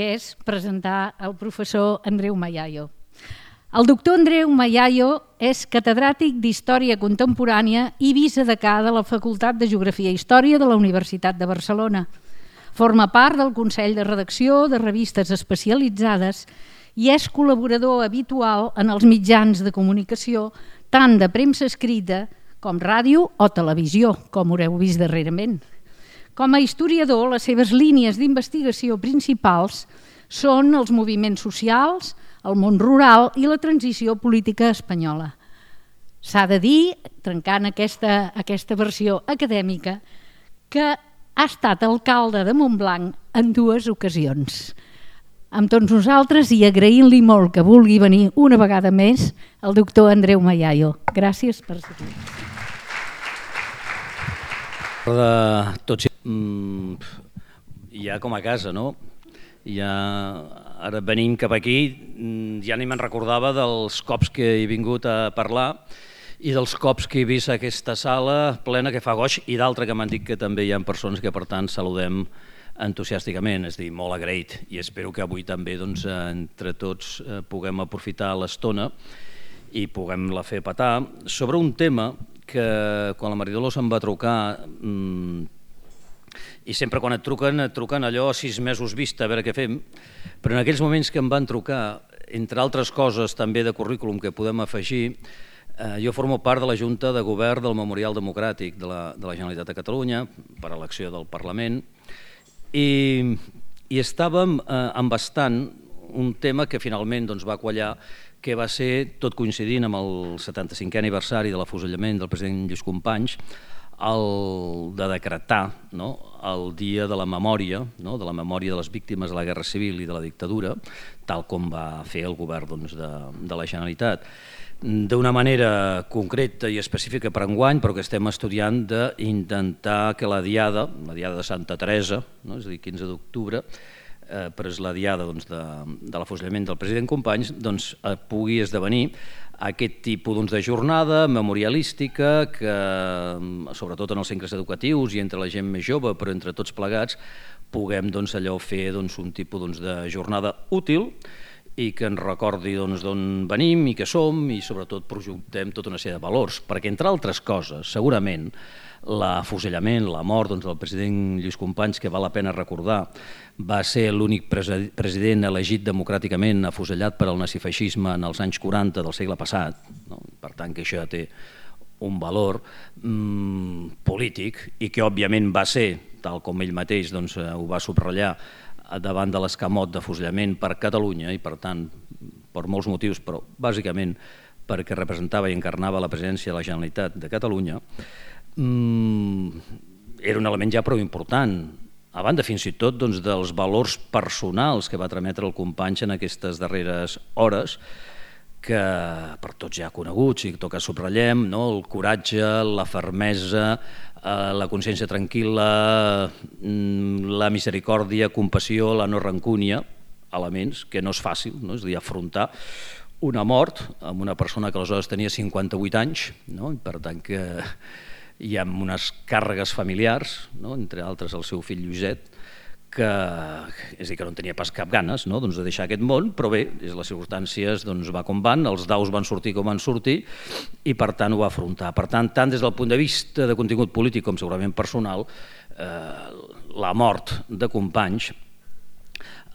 que és presentar el professor Andreu Mayayo. El doctor Andreu Mayayo és catedràtic d'Història Contemporània i vicedecà de la Facultat de Geografia i Història de la Universitat de Barcelona. Forma part del Consell de Redacció de revistes especialitzades i és col·laborador habitual en els mitjans de comunicació, tant de premsa escrita com ràdio o televisió, com haureu vist darrerament. Com a historiador, les seves línies d'investigació principals són els moviments socials, el món rural i la transició política espanyola. S'ha de dir, trencant aquesta versió acadèmica, que ha estat alcalde de Montblanc en 2 ocasions. Amb tots nosaltres i agraint-li molt que vulgui venir una vegada més el doctor Andreu Mayayo. Gràcies per ser aquí. Tots ja com a casa, no? Ara venim cap aquí, ja ni me'n recordava dels cops que he vingut a parlar i dels cops que he vist aquesta sala plena que fa goig i d'altra que m'han dit que també hi ha persones que per tant saludem entusiàsticament, és a dir, molt agraït i espero que avui també entre tots puguem aprofitar l'estona i puguem-la fer petar sobre un tema que quan la Maria Dolors em va trucar i sempre quan et truquen allò a 6 mesos vista, a veure què fem, però en aquells moments que em van trucar, entre altres coses també de currículum que podem afegir, jo formo part de la Junta de Govern del Memorial Democràtic de la Generalitat de Catalunya per elecció del Parlament i estàvem embastant un tema que finalment va quallar, que va ser, tot coincidint amb el 75è aniversari de l'afusellament del president Lluís Companys, el de decretar el Dia de la Memòria, de la memòria de les víctimes de la Guerra Civil i de la dictadura, tal com va fer el govern de la Generalitat. D'una manera concreta i específica per enguany, però que estem estudiant d'intentar que la diada de Santa Teresa, és a dir, 15 d'octubre, però és la diada de l'afusellament del president Companys, pugui esdevenir aquest tipus de jornada memorialística que, sobretot en els centres educatius i entre la gent més jove, però entre tots plegats, puguem allò fer un tipus de jornada útil i que ens recordi d'on venim i què som i sobretot projectem tota una sèrie de valors, perquè entre altres coses, segurament, l'afusellament, la mort del president Lluís Companys, que val la pena recordar, va ser l'únic president elegit democràticament afusellat per al nazifeixisme en els anys 40 del segle passat, per tant que això ja té un valor polític i que òbviament va ser, tal com ell mateix ho va subratllar, davant de l'escamot d'afusellament per Catalunya i per tant per molts motius, però bàsicament perquè representava i encarnava la presidència de la Generalitat de Catalunya, era un element ja prou important, a banda fins i tot dels valors personals que va trametre el Companys en aquestes darreres hores, que per tots ja coneguts i que subratllem, el coratge, la fermesa, la consciència tranquil·la, la misericòrdia, compassió, la no rancúnia, elements que no és fàcil, és a dir, afrontar una mort amb una persona que aleshores tenia 58 anys, per tant que hi ha unes càrregues familiars, entre altres el seu fill Lluïset, que no en tenia pas cap ganes de deixar aquest món, però bé, les circumstàncies va com van, els daus van sortir com van sortir i per tant ho va afrontar. Per tant, tant des del punt de vista de contingut polític com segurament personal, la mort de Companys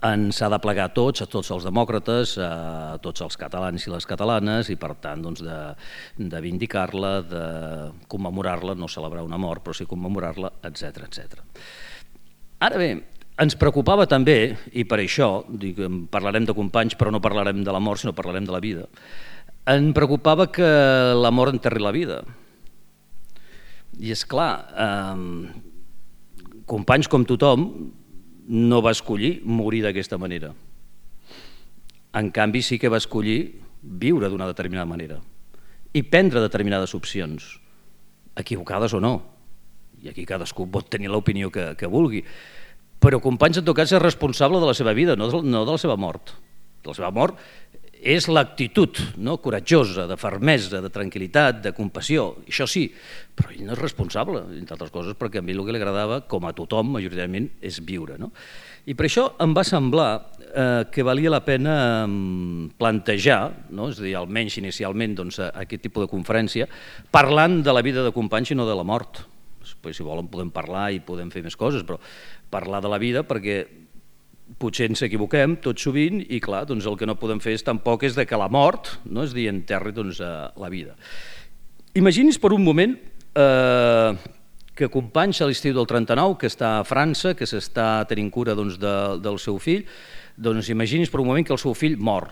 ens ha de plegar a tots els demòcrates, a tots els catalans i les catalanes i per tant de vindicar-la, de commemorar-la, no celebrar una mort però sí commemorar-la, etc. Ara bé, ens preocupava també, i per això parlarem de Companys però no parlarem de la mort sinó parlarem de la vida, em preocupava que la mort enterri la vida. I és clar, Companys com tothom no va escollir morir d'aquesta manera. En canvi sí que va escollir viure d'una determinada manera i prendre determinades opcions, equivocades o no. I aquí cadascú pot tenir l'opinió que vulgui. Però Companys en tot cas és responsable de la seva vida, no de la seva mort. De la seva mort és l'actitud coratjosa, de fermesa, de tranquil·litat, de compassió, això sí, però ell no és responsable, entre altres coses, perquè a ell el que li agradava, com a tothom, majoritàriament, és viure. I per això em va semblar que valia la pena plantejar, no? És a dir, almenys inicialment aquest tipus de conferència, parlant de la vida de companys i no de la mort. Després, si volen, podem parlar i podem fer més coses, però parlar de la vida perquè potser ens equivoquem tot sovint i, clar, el que no podem fer tampoc és que la mort, no? És a dir, enterri la vida. Imagini's per un moment que Companys a l'estiu del 39, que està a França, que s'està tenint cura del seu fill, doncs imagini's per un moment que el seu fill mor.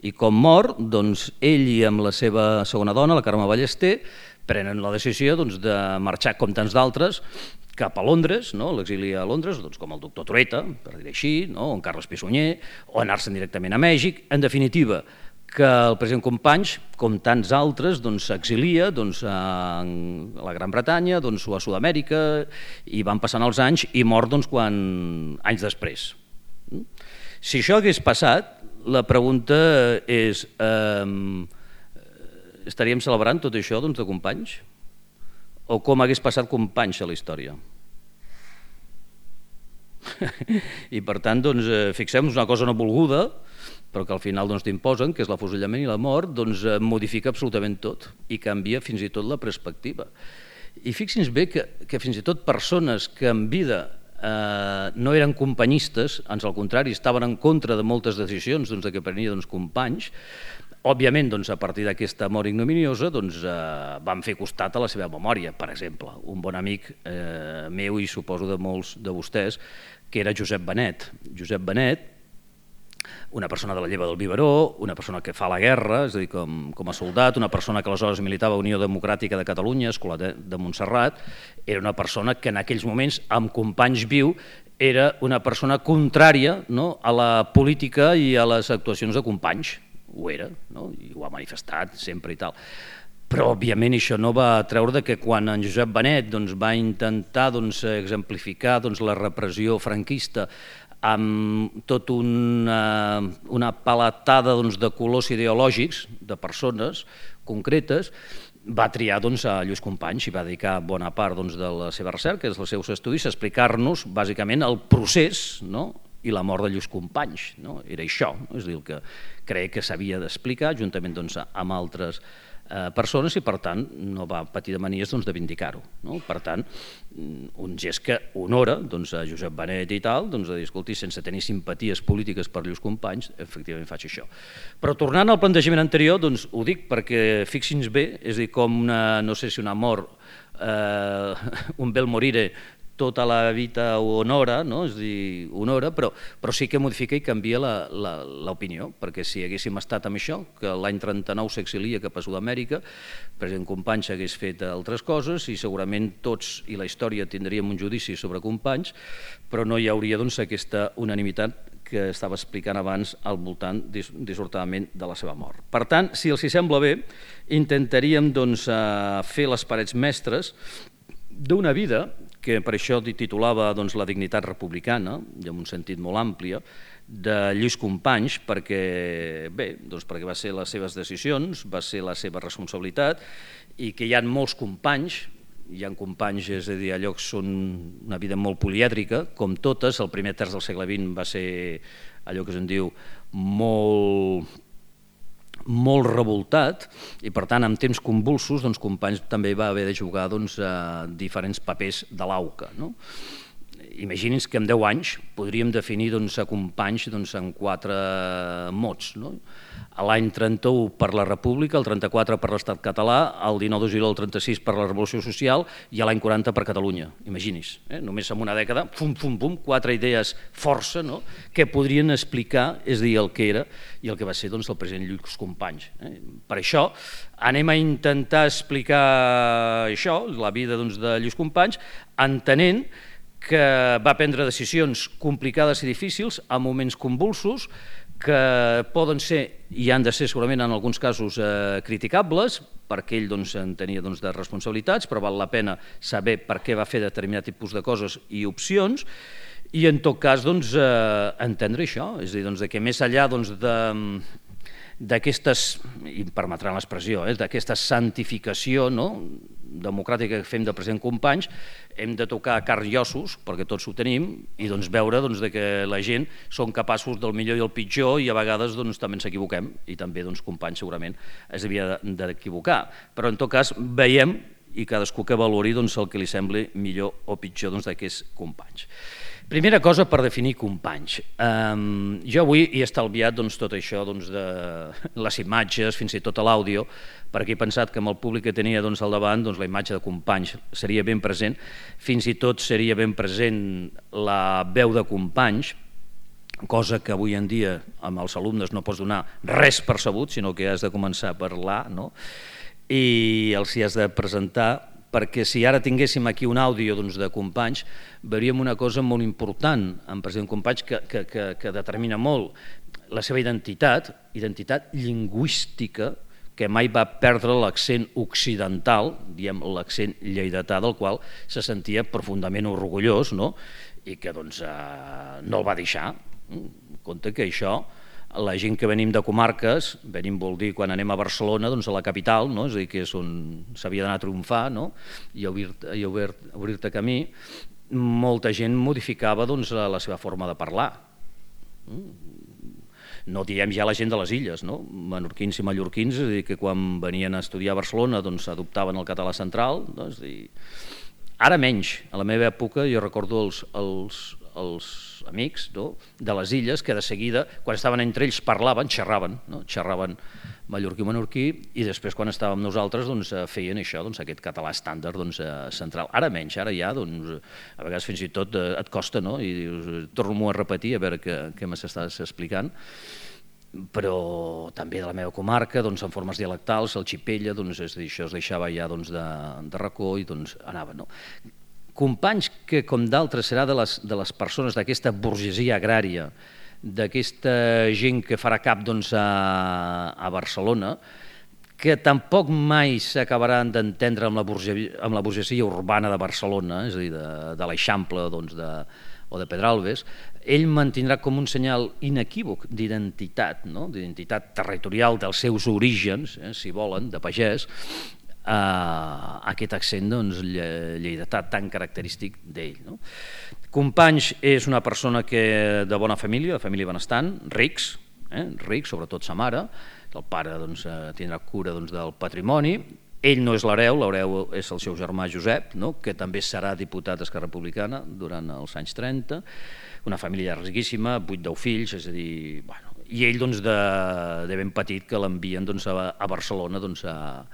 I com mor, doncs ell i amb la seva segona dona, la Carme Ballester, prenen la decisió de marxar, com tants d'altres, cap a Londres, l'exili a Londres, com el doctor Trueta, per dir així, o en Carles Pissunyer, o anar-se'n directament a Mèxic. En definitiva, que el president Companys, com tants altres, s'exilia a la Gran Bretanya o a Sud-amèrica, i van passant els anys i mor anys després. Si això hagués passat, la pregunta és, estaríem celebrant tot això de Companys? O com hagués passat Companys a la història? I per tant, fixem-nos una cosa no volguda, però que al final t'imposen, que és l'afusellament i la mort, modifica absolutament tot i canvia fins i tot la perspectiva. I fixin-se bé que fins i tot persones que en vida no eren companyistes, ans al contrari, estaven en contra de moltes decisions que prenia Companys, òbviament, a partir d'aquesta mort ignominiosa, van fer costat a la seva memòria. Per exemple, un bon amic meu i suposo de molts de vostès, que era Josep Benet. Josep Benet, una persona de la lleva del biberó, una persona que fa la guerra, és a dir, com a soldat, una persona que aleshores militava a Unió Democràtica de Catalunya, Escola de Montserrat, era una persona que en aquells moments, amb Companys viu, era una persona contrària a la política i a les actuacions de Companys. Ho era, i ho ha manifestat sempre i tal. Però, òbviament, això no va treure que quan en Josep Benet va intentar exemplificar la repressió franquista amb tota una paletada de colors ideològics de persones concretes, va triar a Lluís Companys i va dedicar bona part de la seva recerca, dels seus estudis, a explicar-nos, bàsicament, el procés i la mort de Lluís Companys. Era això, és a dir, el que crec que s'havia d'explicar, juntament amb altres persones, i per tant no va patir de manies de vindicar-ho. Per tant, un gest que honora a Josep Benet i tal, de dir, escolti, sense tenir simpaties polítiques per Lluís Companys, efectivament faig això. Però tornant al plantejament anterior, ho dic perquè fixin-se bé, és a dir, com no sé si una mort, un bel morire, tota la vida ho honora, és a dir, honora, però sí que modifica i canvia l'opinió, perquè si haguéssim estat amb això, que l'any 39 s'exilia cap a Sud-amèrica, el president Companys hagués fet altres coses i segurament tots i la història tindríem un judici sobre Companys, però no hi hauria aquesta unanimitat que estava explicant abans al voltant, dissortadament, de la seva mort. Per tant, si els sembla bé, intentaríem fer les parets mestres d'una vida que per això titulava La dignitat republicana, i en un sentit molt àmplia, de Lluís Companys, perquè va ser les seves decisions, va ser la seva responsabilitat, i que hi ha molts companys, hi ha companys, és a dir, allò que són una vida molt polièdrica, com totes. El primer terç del segle XX va ser allò que se'n diu molt revoltat, i per tant en temps convulsos Companys també va haver de jugar diferents papers de l'auca. Imagini's que en 10 anys podríem definir a Companys en 4 mots. A l'any 31 per la República, el 34 per l'Estat català, el 19 de juliol del 36 per la Revolució Social i a l'any 40 per Catalunya. Imagini's, només en una dècada, 4 idees força que podrien explicar, és a dir, el que era i el que va ser el president Lluís Companys. Per això anem a intentar explicar això, la vida de Lluís Companys, entenent que va prendre decisions complicades i difícils en moments convulsos, que poden ser i han de ser segurament en alguns casos criticables, perquè ell en tenia de responsabilitats, però val la pena saber per què va fer determinat tipus de coses i opcions, i en tot cas entendre això, és a dir, que més enllà d'aquestes, i em permetran l'expressió, d'aquesta santificació democràtica que fem del president Companys, hem de tocar carn i ossos, perquè tots ho tenim, i veure que la gent són capaços del millor i el pitjor, i a vegades també ens equivoquem, i també Companys segurament es havia d'equivocar. Però en tot cas veiem, i cadascú que valori el que li sembli millor o pitjor d'aquests companys. Primera cosa per definir companys. Jo avui he estalviat tot això de les imatges, fins i tot l'àudio, perquè he pensat que amb el públic que tenia al davant la imatge de companys seria ben present, fins i tot seria ben present la veu de companys, cosa que avui en dia amb els alumnes no pots donar res per sabut, sinó que has de començar a parlar, i els hi has de presentar, perquè si ara tinguéssim aquí un àudio de companys, veuríem una cosa molt important en president Companys que determina molt la seva identitat lingüística, que mai va perdre l'accent occidental, diem l'accent lleidatà, del qual se sentia profundament orgullós, i que no el va deixar. Compte que això, la gent que venim de comarques, venim vol dir quan anem a Barcelona, a la capital, és a dir, que és on s'havia d'anar a triomfar i a obrir-te camí, molta gent modificava la seva forma de parlar. No diem ja la gent de les illes, menorquins i mallorquins, és a dir, que quan venien a estudiar a Barcelona adoptaven el català central. Ara menys, a la meva època jo recordo els amics de les illes que de seguida, quan estaven entre ells, xerraven mallorquí-menorquí, i després quan estàvem nosaltres feien això, aquest català estàndard central. Ara menys, ara ja a vegades fins i tot et costa, i dius, torno-m'ho a repetir a veure què m'estàs explicant, però també de la meva comarca, en formes dialectals, el xipella, això es deixava ja de racó i anava. Companys que, com d'altres, serà de les persones d'aquesta burgesia agrària, d'aquesta gent que farà cap a Barcelona, que tampoc mai s'acabaran d'entendre amb la burgesia urbana de Barcelona, és a dir, de l'Eixample o de Pedralbes. Ell mantindrà com un senyal inequívoc d'identitat, d'identitat territorial dels seus orígens, si volen, de pagès, aquest accent lleidatà tan característic d'ell. Companys és una persona de bona família, de família benestant, rics, sobretot sa mare, el pare tindrà cura del patrimoni, ell no és l'hereu, l'hereu és el seu germà Josep, que també serà diputat d'Esquerra Republicana durant els anys 30, una família riquíssima, 8-10 fills, és a dir, i ell de ben petit que l'envien a Barcelona a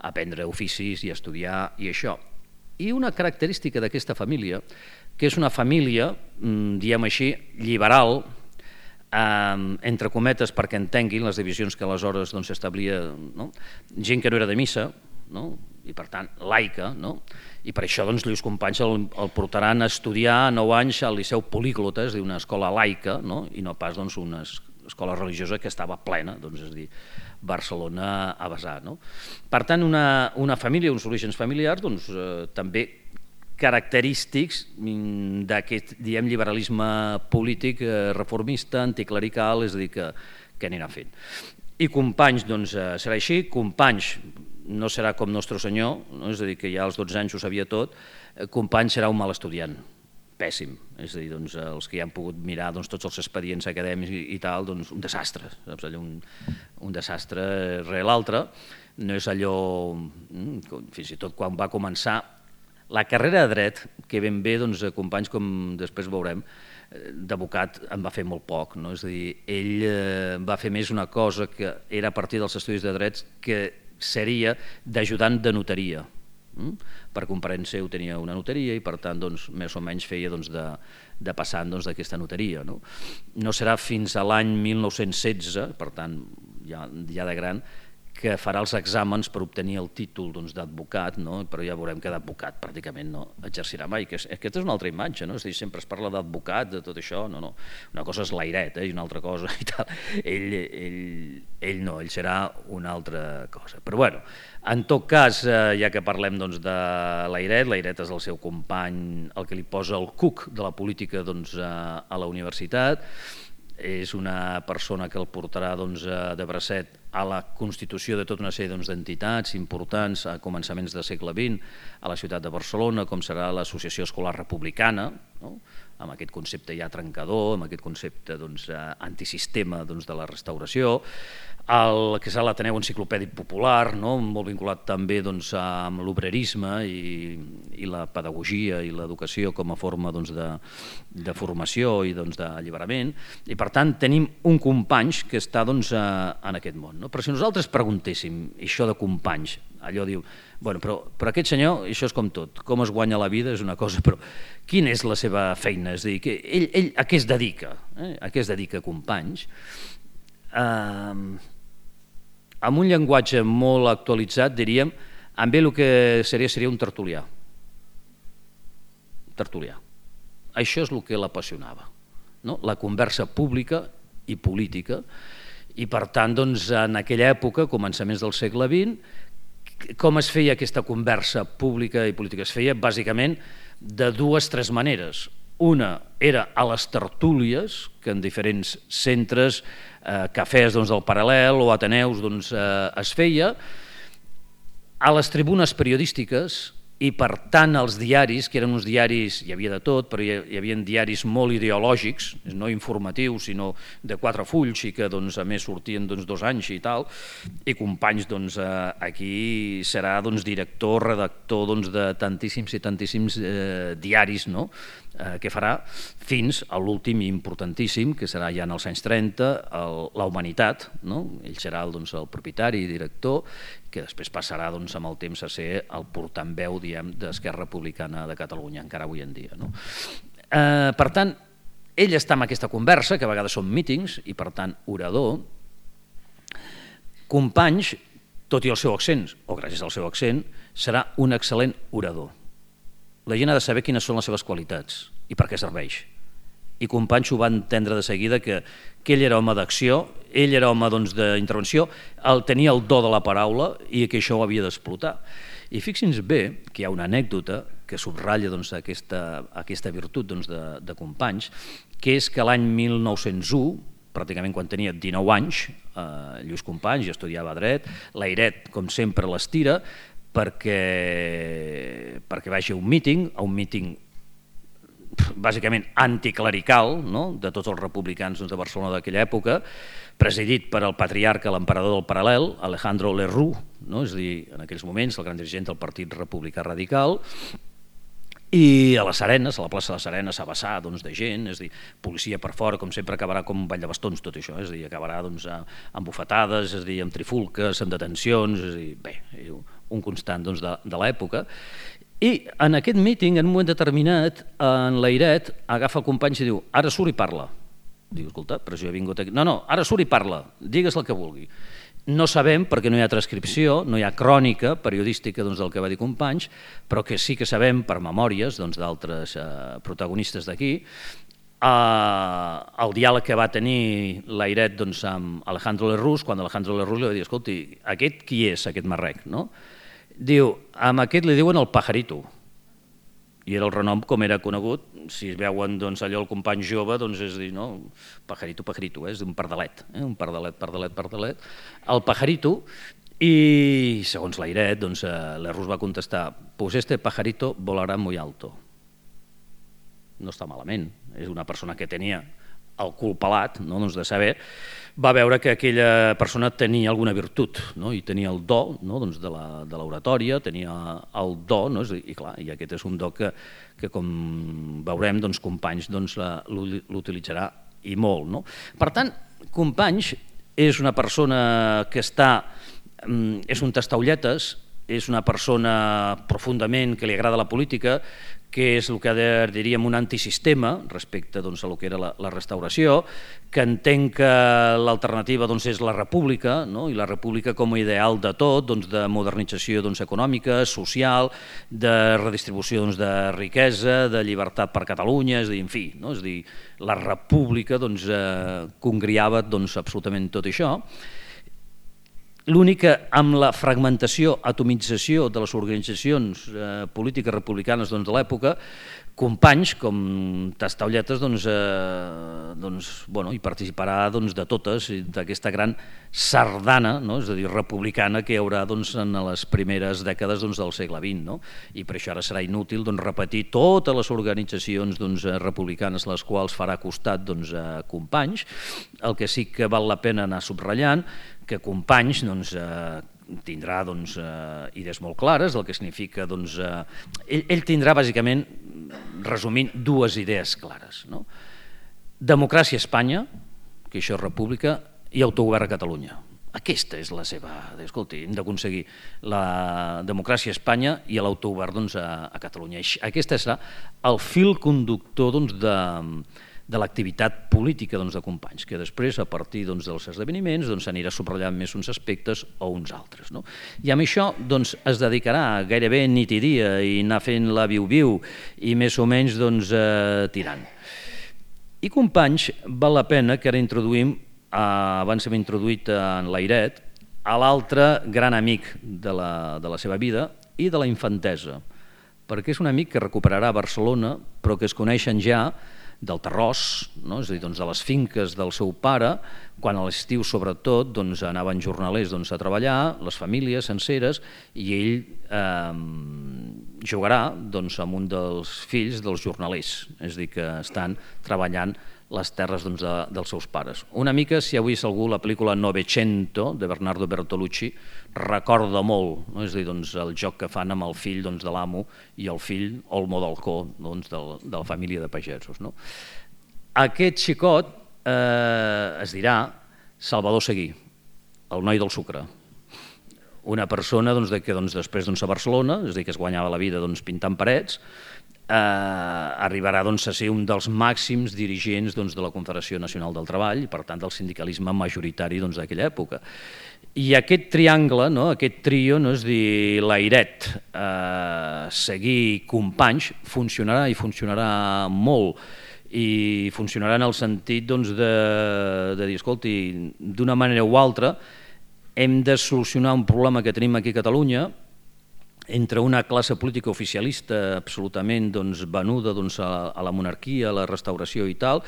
aprendre oficis i a estudiar i això. I una característica d'aquesta família, que és una família, diem així, liberal, entre cometes perquè entenguin les divisions que aleshores s'establia, gent que no era de missa, i per tant laica, i per això Lluís Companys el portaran a estudiar 9 anys al Liceu Políglota, és a dir, una escola laica, i no pas una escola religiosa que estava plena, és a dir, Barcelona a vessar. Per tant, una família, uns orígens familiars, també característics d'aquest, diguem, liberalisme polític reformista, anticlerical, és a dir, que anirà fent. I Companys serà així. Companys no serà com Nostre Senyor, és a dir, que ja als 12 anys ho sabia tot. Companys serà un mal estudiant, pèssim, és a dir, els que ja han pogut mirar tots els expedients acadèmics i tal, un desastre, saps? Allò, un desastre rere l'altre. No és allò, fins i tot quan va començar la carrera de dret, que ben bé, Companys, com després veurem, d'advocat en va fer molt poc, és a dir, ell va fer més una cosa que era a partir dels estudis de drets, que seria d'ajudant de notaria. Per comparent seu tenia una notaria i per tant més o menys feia de passant d'aquesta notaria. No serà fins a l'any 1916, per tant ja de gran, que farà els exàmens per obtenir el títol d'advocat, però ja veurem que d'advocat pràcticament no exercirà mai. Aquesta és una altra imatge, és a dir, sempre es parla d'advocat, de tot això, no. Una cosa és l'airet i una altra cosa i tal. Ell no, ell serà una altra cosa. Però bueno, en tot cas, ja que parlem de l'airet és el seu company, el que li posa el cuc de la política a la universitat. és una persona que el portarà de bracet a la constitució de tota una sèrie d'entitats importants a començaments del segle XX a la ciutat de Barcelona, com serà l'Associació Escolar Republicana, amb aquest concepte ja trencador, amb aquest concepte antisistema de la restauració, el que serà l'Ateneu Enciclopèdic Popular, molt vinculat també amb l'obrerisme i la pedagogia i l'educació com a forma de formació i d'alliberament, i per tant tenim un companys que està en aquest món. Però si nosaltres preguntéssim això de companys, allò diu, però aquest senyor, això és com tot, com es guanya la vida és una cosa, però quina és la seva feina? És a dir, ell a què es dedica? A què es dedica Companys? Amb un llenguatge molt actualitzat diríem, amb ell el que seria un tertulià. Tertulià. Això és el que l'apassionava, la conversa pública i política, i per tant, en aquella època, començaments del segle XX, com es feia aquesta conversa pública i política? Es feia bàsicament de 2 o 3 maneres. Una era a les tertúlies, que en diferents centres, cafès del Paral·lel o ateneus es feia, a les tribunes periodístiques, i per tant els diaris, que eren uns diaris, hi havia de tot, però hi havia diaris molt ideològics, no informatius, sinó de 4 fulls, i que a més sortien 2 anys i tal, i Companys aquí serà director, redactor de tantíssims i tantíssims diaris que farà fins a l'últim i importantíssim, que serà ja en els anys 30, La Humanitat. Ell serà el propietari i director, que després passarà amb el temps a ser el portaveu d'Esquerra Republicana de Catalunya, encara avui en dia. Per tant, ell està en aquesta conversa, que a vegades són mítings, i per tant orador. Companys, tot i el seu accent, o gràcies al seu accent, serà un excel·lent orador. La gent ha de saber quines són les seves qualitats i per què serveix. I Companys ho va entendre de seguida, que ell era home d'acció, ell era home d'intervenció, tenia el do de la paraula i que això ho havia d'explotar. I fixin-se bé que hi ha una anècdota que subratlla aquesta virtut de Companys, que és que l'any 1901, pràcticament quan tenia 19 anys, Lluís Companys ja estudiava dret, l'Airet, com sempre, l'estira perquè vagi a un míting bàsicament anticlerical, de tots els republicans de Barcelona d'aquella època, presidit per el patriarca, l'emperador del Paral·lel, Alejandro Lerroux, és a dir, en aquells moments el gran dirigent del Partit Republicà Radical, i a les Arenes, a la plaça de les Arenes, a vessar de gent, és a dir, policia per fora, com sempre acabarà com un ball de bastons tot això, és a dir, acabarà amb bufetades, és a dir, amb trifulques, amb detencions, és a dir, bé, un constant de l'època. I en aquest míting, en un moment determinat, en l'Airet agafa el Companys i diu, ara surt i parla. Diu, escolta, però jo he vingut aquí... No, ara surt i parla, digues el que vulgui. No sabem, perquè no hi ha transcripció, no hi ha crònica periodística del que va dir Companys, però que sí que sabem per memòries d'altres protagonistes d'aquí, el diàleg que va tenir l'Airet amb Alejandro Lerroux, quan Alejandro Lerroux li va dir, escolti, aquest qui és, aquest marrec, no? Diu, amb aquest li diuen el pajarito, i era el renom com era conegut, si veuen allò el company jove, és dir, no, pajarito, és un pardalet, un pardalet, el pajarito, i segons l'Airet, l'Errus va contestar, pues este pajarito volará muy alto. No està malament, és una persona que tenia el cul pelat, de saber, va veure que aquella persona tenia alguna virtut, i tenia el do de l'oratòria, tenia el do, i clar, i aquest és un do que com veurem, Companys l'utilitzarà i molt. Per tant, Companys és una persona que és un tastaolletes, és una persona profundament que li agrada la política, que és el que diríem un antisistema respecte a el que era la restauració, que entén que l'alternativa és la república, i la república com a ideal de tot, de modernització econòmica, social, de redistribució de riquesa, de llibertat per Catalunya, és a dir, en fi, la república congriava absolutament tot això. L'únic que amb la fragmentació, atomització de les organitzacions polítiques republicanes de l'època, companys com Tastaolletes hi participarà de totes, d'aquesta gran sardana, és a dir, republicana que hi haurà en les primeres dècades del segle XX, i per això ara serà inútil repetir totes les organitzacions republicanes les quals farà costat Companys. El que sí que val la pena anar subratllant que Companys tindrà idees molt clares, el que significa ell tindrà bàsicament, resumint, dues idees clares. Democràcia a Espanya, que això és república, i autogovern a Catalunya. Aquesta és la seva... Escolti, hem d'aconseguir la democràcia a Espanya i l'autogovern a Catalunya. Aquest serà el fil conductor de l'activitat política de Companys, que després, a partir dels esdeveniments, s'anirà subratllant més uns aspectes o uns altres. I amb això es dedicarà gairebé nit i dia i anar fent la viu-viu i més o menys tirant. I Companys val la pena que ara introduïm, abans hem introduït en Layret, a l'altre gran amic de la seva vida i de la infantesa, perquè és un amic que recuperarà Barcelona, però que es coneixen ja del terròs, és a dir, de les finques del seu pare, quan a l'estiu sobretot anaven jornalers a treballar, les famílies senceres, i ell jugarà amb un dels fills dels jornalers, és a dir, que estan treballant les terres dels seus pares. Una mica, si heu vist algú la pel·lícula Novecento, de Bernardo Bertolucci, recorda molt, és a dir, el joc que fan amb el fill de l'amo i el fill Olmo d'Alcó, de la família de pagesos. Aquest xicot es dirà Salvador Seguí, el noi del sucre. Una persona que després a Barcelona, és a dir, que es guanyava la vida pintant parets, arribarà a ser un dels màxims dirigents de la Confederació Nacional del Treball i per tant del sindicalisme majoritari d'aquella època. I aquest triangle, aquest trio, és a dir, Layret, Seguí, Companys, funcionarà i funcionarà molt, i funcionarà en el sentit de dir, escolti, d'una manera o altra hem de solucionar un problema que tenim aquí a Catalunya entre una classe política oficialista absolutament venuda a la monarquia, a la restauració i tal,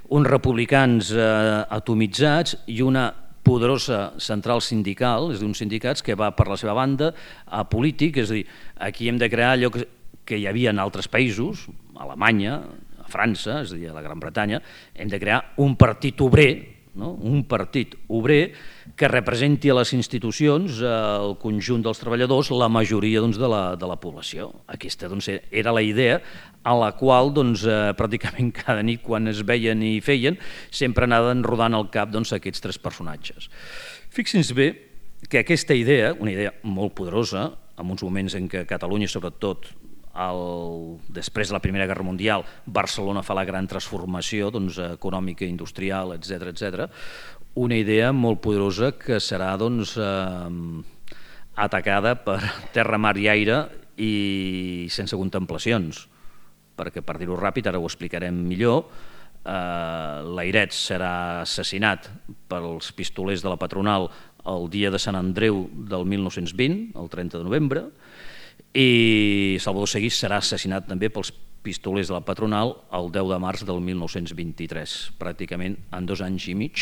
uns republicans atomitzats i una poderosa central sindical, és a dir, uns sindicats que va per la seva banda a polític, és a dir, aquí hem de crear allò que hi havia en altres països, a Alemanya, a França, és a dir, a la Gran Bretanya, hem de crear un partit obrer, un partit obrer que representi a les institucions el conjunt dels treballadors, la majoria de la població. Aquesta era la idea a la qual pràcticament cada nit quan es veien i feien sempre anaven rodant al cap aquests tres personatges. Fixin-se bé que aquesta idea, una idea molt poderosa, en uns moments en què Catalunya sobretot després de la Primera Guerra Mundial, Barcelona fa la gran transformació econòmica, industrial, etc. Una idea molt poderosa que serà atacada per terra, mar i aire i sense contemplacions, perquè per dir-ho ràpid, ara ho explicarem millor, Layret serà assassinat pels pistolers de la patronal el dia de Sant Andreu del 1920, el 30 de novembre, i Salvador Seguí serà assassinat també pels pistolers de la patronal el 10 de març del 1923, pràcticament en 2 anys i mig.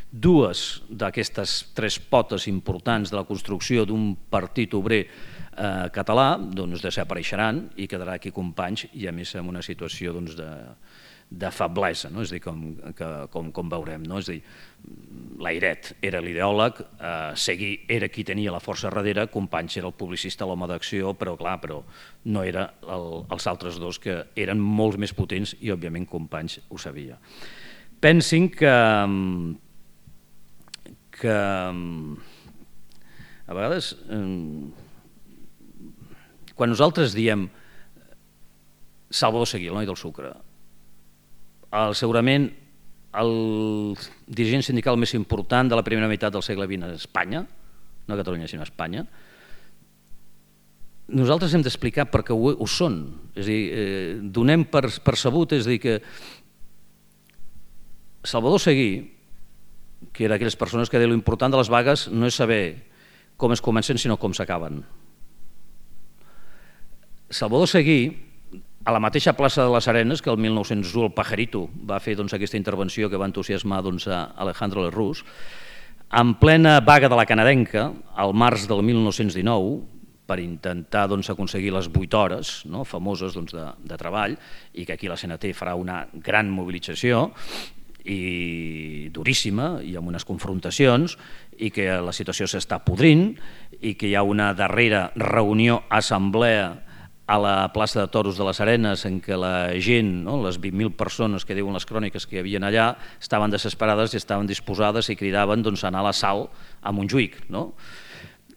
Dues d'aquestes tres potes importants de la construcció d'un partit obrer català desapareixeran i quedarà aquí Companys i a més en una situació de feblesa, és a dir, com veurem. És a dir, Layret era l'ideòleg, Seguí era qui tenia la força darrere, Companys era el publicista, l'home d'acció, però clar, no eren els altres dos que eren molt més potents i òbviament Companys ho sabia. Pensin que a vegades quan nosaltres diem Salvador Seguí, el noi del sucre, segurament el dirigent sindical més important de la primera meitat del segle XX a Espanya, no a Catalunya sinó a Espanya, nosaltres hem d'explicar per què ho són. És a dir, donem per sabut, és a dir, que Salvador Seguí, que era aquelles persones que deien l'important de les vagues no és saber com es comencen sinó com s'acaben. Salvador Seguí a la mateixa plaça de les Arenes, que el 1901 el Pajarito va fer aquesta intervenció que va entusiasmar a Alejandro Lerroux, en plena vaga de la canadenca, al març del 1919, per intentar aconseguir les 8 hores famoses de treball, i que aquí la CNT farà una gran mobilització, i duríssima, i amb unes confrontacions, i que la situació s'està podrint, i que hi ha una darrera reunió, assemblea, a la plaça de Toros de les Arenes, en què la gent, les 20.000 persones que diuen les cròniques que hi havia allà, estaven desesperades i estaven disposades i cridaven a anar a l'assalt a Montjuïc.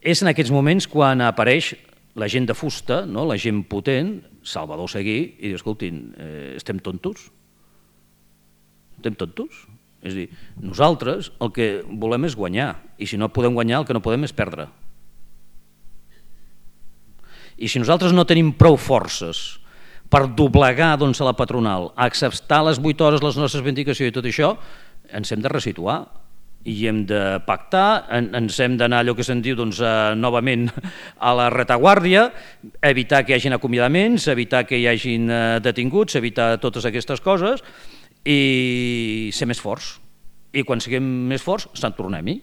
És en aquests moments quan apareix la gent de fusta, la gent potent, Salvador Seguí, i diu, escoltin, estem tontos? Estem tontos? És a dir, nosaltres el que volem és guanyar, i si no podem guanyar el que no podem és perdre. I si nosaltres no tenim prou forces per doblegar a la patronal, a acceptar les 8 hores, les nostres reivindicacions i tot això, ens hem de resituar i hem de pactar, ens hem d'anar allò que se'n diu novament a la retaguardia, evitar que hi hagin acomiadaments, evitar que hi hagin detinguts, evitar totes aquestes coses i ser més forts. I quan siguem més forts, se'n tornem-hi.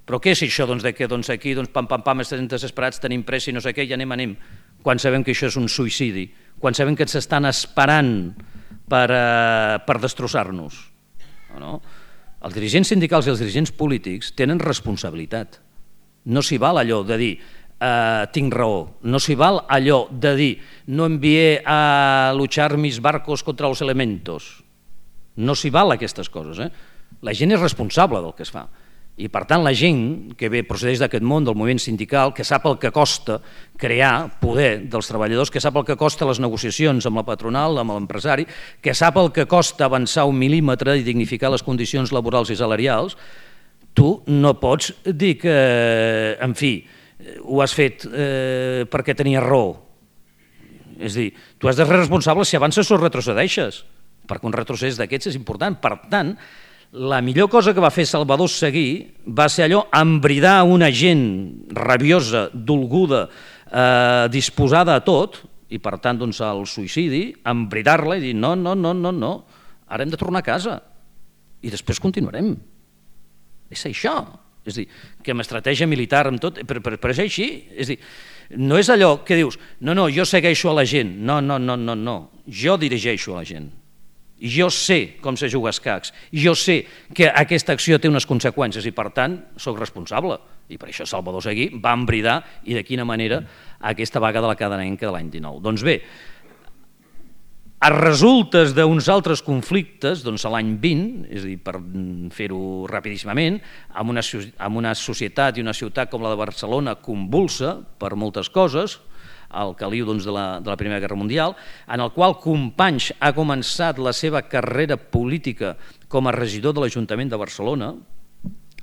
Però què és això que aquí pam, estem desesperats, tenim pressa i no sé què, i anem, quan sabem que això és un suïcidi, quan sabem que ens estan esperant per destrossar-nos? Els dirigents sindicals i els dirigents polítics tenen responsabilitat. No s'hi val allò de dir tinc raó, no s'hi val allò de dir no envié a luchar mis barcos contra los elementos. No s'hi val aquestes coses. La gent és responsable del que es fa. I per tant la gent que procedeix d'aquest món, del moviment sindical, que sap el que costa crear poder dels treballadors, que sap el que costa les negociacions amb la patronal, amb l'empresari, que sap el que costa avançar 1 mil·límetre i dignificar les condicions laborals i salarials, tu no pots dir que, en fi, ho has fet perquè tenies raó. És a dir, tu has de ser responsable si avances o retrocedeixes, perquè un retrocés d'aquests és important. Per tant, la millor cosa que va fer Salvador Seguí va ser allò, embridar una gent rabiosa, dolguda, disposada a tot, i per tant al suïcidi, embridar-la i dir no, ara hem de tornar a casa i després continuarem. És això. És a dir, que amb estratègia militar, amb tot, però és així. És a dir, no és allò que dius, no, jo segueixo a la gent. No, jo dirigeixo a la gent. I jo sé com se juga a escacs, jo sé que aquesta acció té unes conseqüències i per tant soc responsable. I per això Salvador Seguí va embridar i de quina manera aquesta vaga de la canadenca de l'any 19. Doncs bé, a resultes d'uns altres conflictes, a l'any 20, és a dir, per fer-ho rapidíssimament, amb una societat i una ciutat com la de Barcelona convulsa per moltes coses, al caliu de la Primera Guerra Mundial, en el qual Companys ha començat la seva carrera política com a regidor de l'Ajuntament de Barcelona.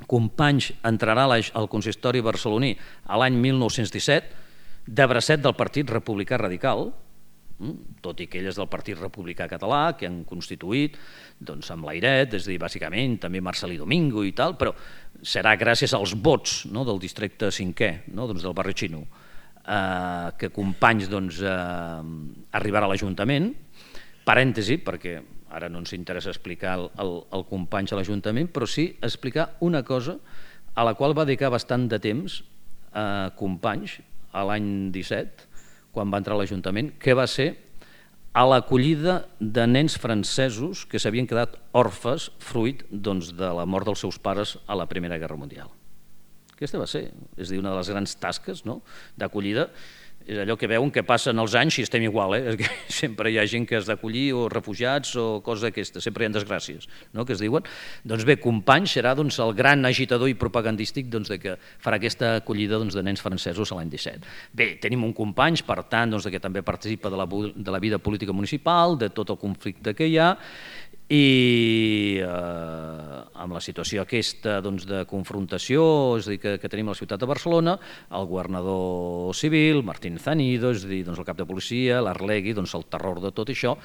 Companys entrarà al consistori barceloní a l'any 1917, de bracet del Partit Republicà Radical, tot i que ell és del Partit Republicà Català, que han constituït amb l'Airet, és a dir, bàsicament, també Marcelí Domingo i tal, però serà gràcies als vots del districte 5è, del barri xino, que Companys arribarà a l'Ajuntament, parèntesi, perquè ara no ens interessa explicar el Companys a l'Ajuntament, però sí explicar una cosa a la qual va dedicar bastant de temps Companys a l'any 17, quan va entrar a l'Ajuntament, que va ser a l'acollida de nens francesos que s'havien quedat orfes fruit de la mort dels seus pares a la Primera Guerra Mundial. Aquesta va ser, és a dir, una de les grans tasques d'acollida. És allò que veuen que passen els anys i estem igual, és que sempre hi ha gent que has d'acollir o refugiats o coses d'aquestes, sempre hi ha desgràcies que es diuen. Doncs bé, Companys serà el gran agitador i propagandístic que farà aquesta acollida de nens francesos a l'any 17. Bé, tenim un Companys, per tant, que també participa de la vida política municipal, de tot el conflicte que hi ha, i amb la situació aquesta de confrontació, és a dir, que tenim a la ciutat de Barcelona, el governador civil, Martín Zanido, és a dir, el cap de policia, l'Arlegui, el terror de tot això,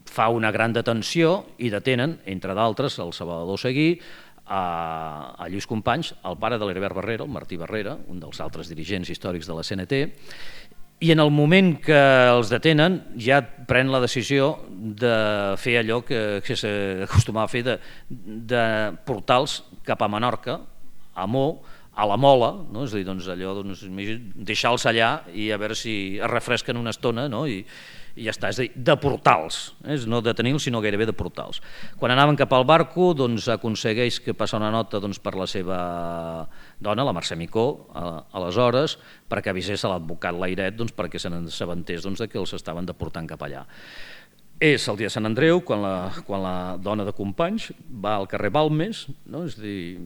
fa una gran detenció i detenen, entre d'altres, el Salvador Seguí, a Lluís Companys, el pare de l'Heribert Barrera, el Martí Barrera, un dels altres dirigents històrics de la CNT, I en el moment que els detenen ja pren la decisió de fer allò que s'acostumava a fer, de portar-los cap a Menorca, a Mo, a la Mola, no? És a dir, doncs allò, deixar-los allà i a veure si es refresquen una estona, no? I ja està, és a dir, deportar-los, no detenir-los sinó gairebé deportar-los. Quan anaven cap al barco, doncs aconsegueix que passa una nota per la seva dona, la Mercè Micó, aleshores, perquè avisés a l'advocat Layret perquè se n'assabentés que els estaven deportant cap allà. És el dia de Sant Andreu, quan la dona de Companys va al carrer Balmes, és a dir,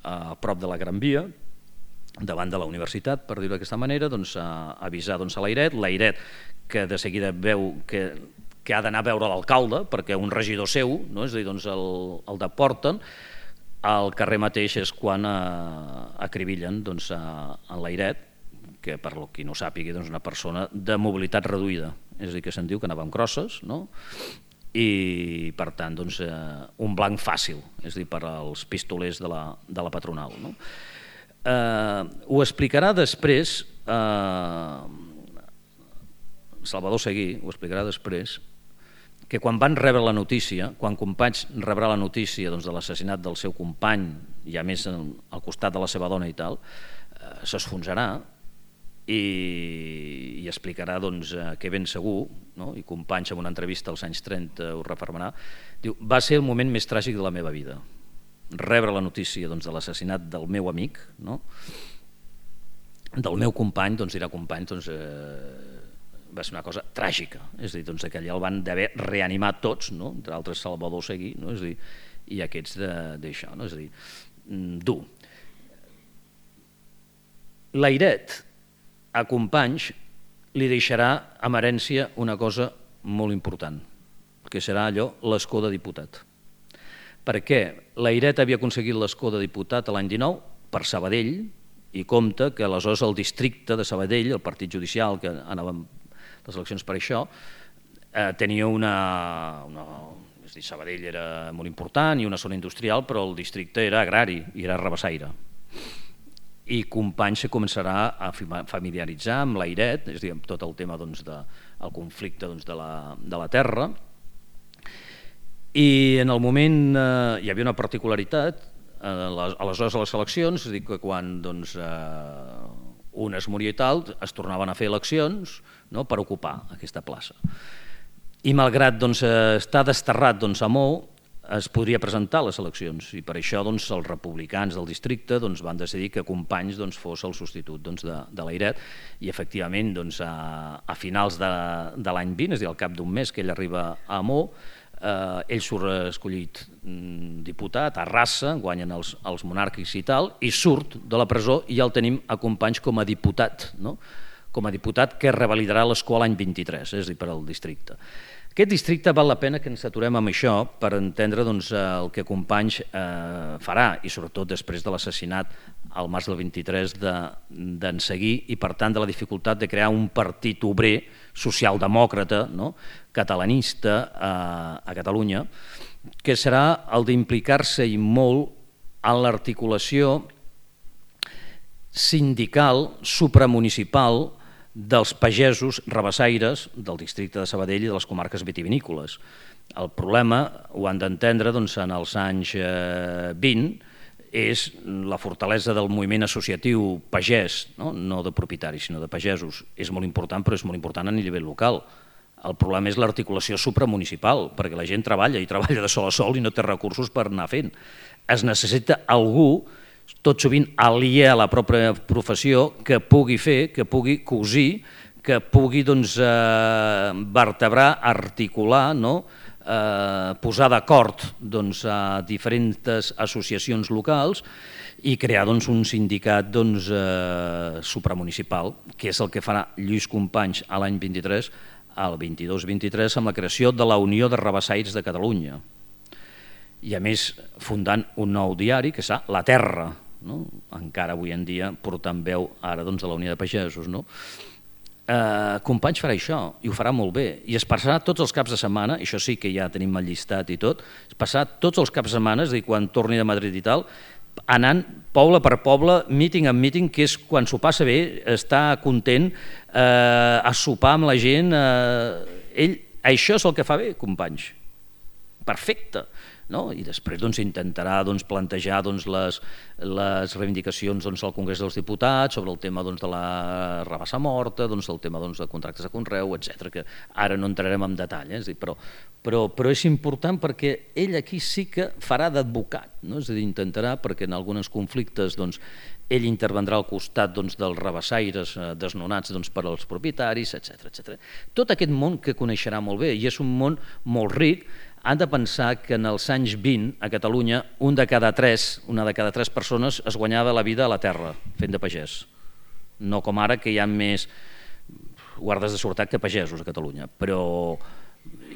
a prop de la Gran Via, davant de la universitat, per dir-ho d'aquesta manera, a avisar a Layret, que de seguida veu que ha d'anar a veure l'alcalde, perquè un regidor seu, és a dir, el deporten. Al carrer mateix és quan acribillen en Layret, que per qui no ho sàpiga és una persona de mobilitat reduïda, és a dir, que se'n diu que anava amb crosses, i per tant un blanc fàcil, és a dir, per als pistolers de la patronal. Ho explicarà després Salvador Seguí, ho explicarà després, que quan van rebre la notícia, quan Companys rebrà la notícia de l'assassinat del seu company, i a més al costat de la seva dona i tal, s'esfonsarà i explicarà que ben segur, i Companys en una entrevista als anys 30 ho refermarà, diu, va ser el moment més tràgic de la meva vida, rebre la notícia de l'assassinat del meu amic, del meu company, dirà Companys, va ser una cosa tràgica, és a dir, que allà el van d'haver reanimat tots, entre altres Salvador Seguí, i aquests d'això, és a dir, dur. Layret a Companys li deixarà en herència una cosa molt important, que serà allò, l'escó de diputat. Perquè Layret havia aconseguit l'escó de diputat l'any 19 per Sabadell, i compta que aleshores el districte de Sabadell, el partit judicial, que anaven les eleccions per això, tenia és a dir, Sabadell era molt important i una zona industrial, però el districte era agrari i era rabassaire. I Companys se començarà a familiaritzar amb Layret, és a dir, amb tot el tema del conflicte de la terra, i en el moment hi havia una particularitat, aleshores a les eleccions, és a dir, que quan un es moria i tal, es tornaven a fer eleccions per ocupar aquesta plaça. I malgrat estar desterrat a Mo, es podria presentar a les eleccions, i per això els republicans del districte van decidir que Companys fos el substitut de Layret, i efectivament a finals de l'any 20, és a dir, al cap d'un mes que ell arriba a Mo, ell surt escollit diputat, arrasa, guanyen els monàrquics i tal, i surt de la presó i ja el tenim a Companys com a diputat, com a diputat que revalidarà l'escó l'any 23, és a dir, per al districte. Aquest districte val la pena que ens aturem amb això per entendre el que Companys farà, i sobretot després de l'assassinat al març del 23 d'en Seguí, i per tant de la dificultat de crear un partit obrer, socialdemòcrata, catalanista a Catalunya, que serà el d'implicar-se i molt en l'articulació sindical, supramunicipal, dels pagesos rabassaires del districte de Sabadell i de les comarques vitivinícoles. El problema, ho han d'entendre, en els anys 20, és la fortalesa del moviment associatiu pagès, no de propietaris, sinó de pagesos. És molt important, però és molt important a nivell local. El problema és l'articulació supramunicipal, perquè la gent treballa i treballa de sol a sol i no té recursos per anar fent. Es necessita algú, tot sovint aliè a la pròpia professió, que pugui fer, que pugui cosir, que pugui vertebrar, articular, posar d'acord a diferents associacions locals i crear un sindicat supramunicipal, que és el que farà Lluís Companys a l'any 23, al 22-23, amb la creació de la Unió de Rabassaires de Catalunya. I a més fundant un nou diari que serà La Terra, encara avui en dia portant veu ara a la Unió de Pagesos. Companys farà això i ho farà molt bé, i es passarà tots els caps de setmana, això sí que ja tenim el llistat i tot, es passarà tots els caps de setmana, és a dir, quan torni de Madrid i tal, anant poble per poble, míting en míting, que és quan s'ho passa bé, està content, a sopar amb la gent. Això és el que fa bé, companys. Perfecte. I després intentarà plantejar les reivindicacions al Congrés dels Diputats sobre el tema de la rabassa morta, el tema de contractes de conreu, etc., que ara no entrarem en detall, però és important perquè ell aquí sí que farà d'advocat, és a dir, intentarà, perquè en alguns conflictes ell intervendrà al costat dels rabassaires desnonats per als propietaris, etc. Tot aquest món que coneixerà molt bé, i és un món molt ric. Han de pensar que en els anys 20 a Catalunya una de cada tres persones es guanyava la vida a la terra fent de pagès. No com ara, que hi ha més guardes de seguretat que pagesos a Catalunya, però,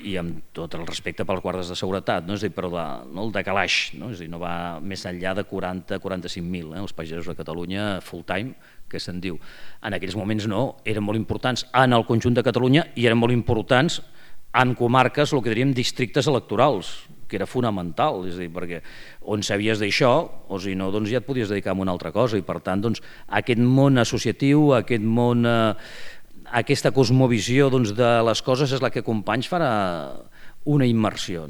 i amb tot el respecte pels guardes de seguretat, és a dir, però el de calaix, és a dir, no va més enllà de 40-45.000, els pagesos a Catalunya full time, que se'n diu. En aquells moments no, eren molt importants en el conjunt de Catalunya i eren molt importants en comarques, el que diríem districtes electorals, que era fonamental, és a dir, perquè on sabies d'això, o si no, ja et podies dedicar a una altra cosa, i per tant, aquest món associatiu, aquest món, aquesta cosmovisió de les coses és la que Companys farà una immersió.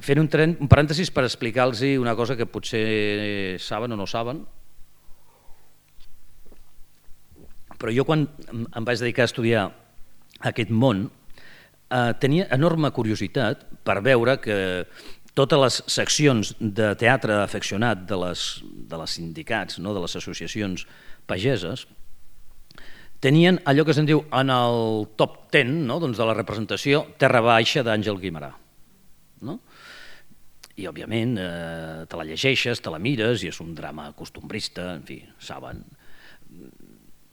Fent un parèntesis per explicar-los una cosa que potser saben o no saben, però jo quan em vaig dedicar a estudiar aquest món, tenia enorme curiositat per veure que totes les seccions de teatre afeccionat de les sindicats, de les associacions pageses, tenien allò que se'n diu en el top 10 de la representació Terra Baixa d'Àngel Guimerà. I, òbviament, te la llegeixes, te la mires, i és un drama costumbrista, en fi, saben.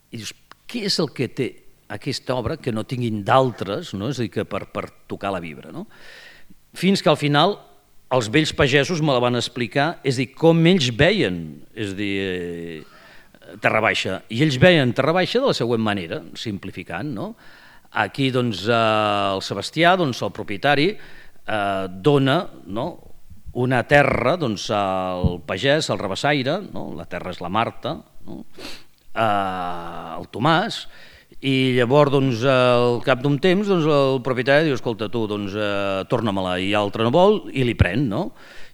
I dius, què és el que té aquesta obra que no tinguin d'altres, és a dir, que per tocar la vibra. Fins que al final els vells pagesos me la van explicar, és a dir, com ells veien, és a dir, Terra Baixa. I ells veien Terra Baixa de la següent manera, simplificant. Aquí el Sebastià, el propietari, dona una terra al pagès, al rabassaire, la terra és la Marta, al Tomàs, i llavors al cap d'un temps el propietari diu, escolta tu, torna-me-la, i l'altre no vol i li pren,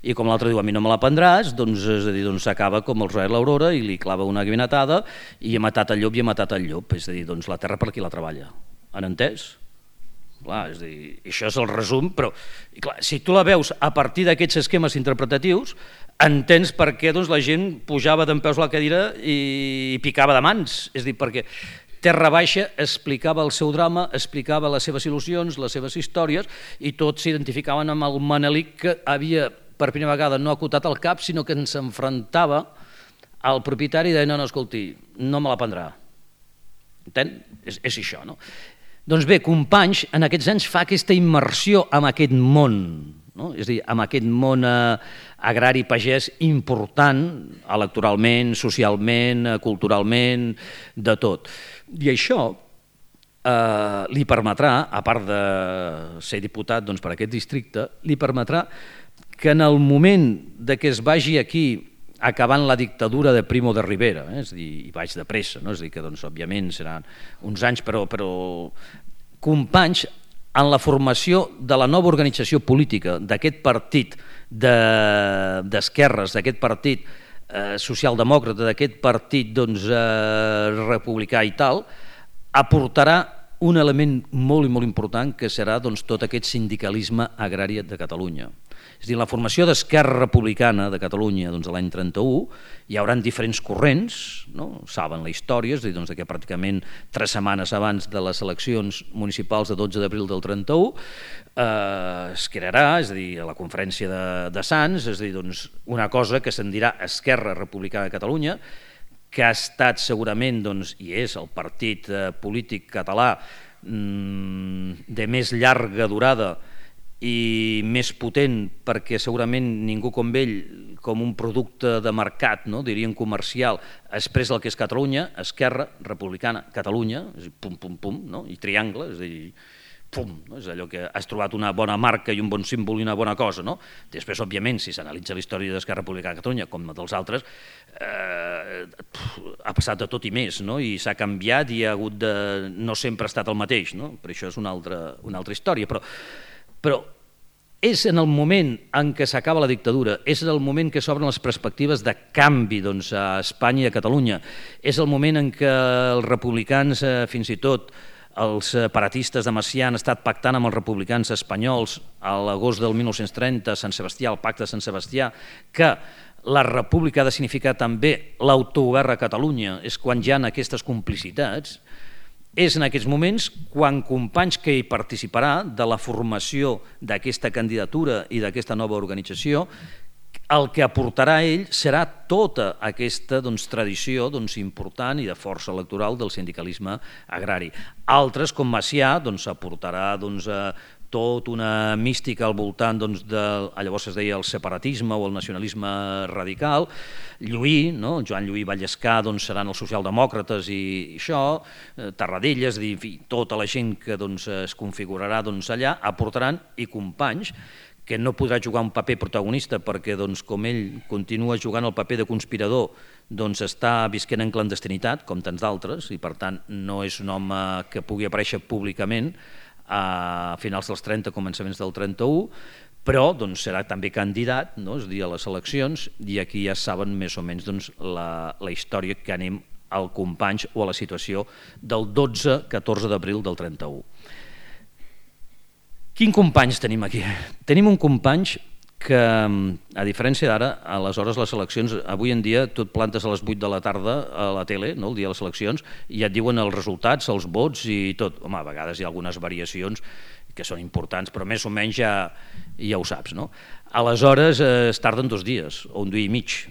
i com l'altre diu a mi no me la prendràs, és a dir, s'acaba com el Roser l'Aurora i li clava una guinetada i ha matat el llop i ha matat el llop, és a dir, la terra per qui la treballa, han entès? Clar, és a dir, això és el resum, però clar, si tu la veus a partir d'aquests esquemes interpretatius, entens per què la gent pujava dempeus a la cadira i picava de mans, és a dir, perquè Terra Baixa explicava el seu drama, explicava les seves il·lusions, les seves històries, i tots s'identificaven amb el Manelic que havia, per primera vegada, no acotat el cap, sinó que ens enfrontava al propietari i deia, no, escolti, no me la prendrà. Entén? És això, no? Doncs bé, Companys, en aquests anys fa aquesta immersió en aquest món, és a dir, en aquest món agrari pagès important, electoralment, socialment, culturalment, de tot. I això li permetrà, a part de ser diputat per aquest districte, li permetrà que en el moment que es vagi aquí acabant la dictadura de Primo de Rivera, és a dir, i vaig de pressa, és a dir, que òbviament seran uns anys, però Companys, en la formació de la nova organització política d'aquest partit d'esquerres, d'aquest partit socialdemòcrata, d'aquest partit republicà i tal, aportarà un element molt i molt important que serà tot aquest sindicalisme agrari de Catalunya. És a dir, la formació d'Esquerra Republicana de Catalunya de l'any 31 hi haurà diferents corrents, saben la història, és a dir, que pràcticament 3 setmanes abans de les eleccions municipals de 12 d'abril del 31 es crearà, és a dir, a la conferència de Sants, és a dir, una cosa que se'n dirà Esquerra Republicana de Catalunya, que ha estat segurament, i és el partit polític català de més llarga durada i més potent, perquè segurament ningú com ell, com un producte de mercat, diríem comercial, expressa el que és Catalunya, Esquerra Republicana, Catalunya, pum, pum, pum, i triangle, és a dir, pum, no? És allò que has trobat una bona marca i un bon símbol i una bona cosa, no? Després, òbviament, si s'analitza la història d'Esquerra Republicana de Catalunya, com dels altres, ha passat de tot i més, no? I s'ha canviat i ha hagut de... no sempre ha estat el mateix, no? Per això és una altra història, però és en el moment en què s'acaba la dictadura, és en el moment que s'obren les perspectives de canvi a Espanya i a Catalunya, és el moment en què els republicans, fins i tot els separatistes de Macià, han estat pactant amb els republicans espanyols a l'agost del 1930, Sant Sebastià, el pacte de Sant Sebastià, que la república ha de significar també l'autogovern a Catalunya, és quan hi ha aquestes complicitats. És en aquests moments quan Companys, que hi participarà de la formació d'aquesta candidatura i d'aquesta nova organització, el que aportarà ell serà tota aquesta tradició important i de força electoral del sindicalisme agrari. Altres, com Macià, aportarà tot una mística al voltant llavors es deia el separatisme o el nacionalisme radical. Lluís, Joan Lluís Vallescà, seran els socialdemòcrates i això, Tarradellas, tota la gent que es configurarà allà, aportaran, i Companys, que no podrà jugar un paper protagonista perquè, com ell continua jugant el paper de conspirador, està visquent en clandestinitat, com tants d'altres, i per tant no és un home que pugui aparèixer públicament a finals dels 30, començaments del 31, però serà també candidat, és a dir, a les eleccions, i aquí ja saben més o menys la història que anem al Companys o a la situació del 12-14 d'abril del 31. Quin Companys tenim aquí? Tenim un Companys que, a diferència d'ara, aleshores les eleccions, avui en dia tot plantes a les 8 de la tarda a la tele, el dia de les eleccions, i ja et diuen els resultats, els vots i tot. Home, a vegades hi ha algunes variacions que són importants, però més o menys ja ho saps. Aleshores es tarden 2 dies, o un dia i mig,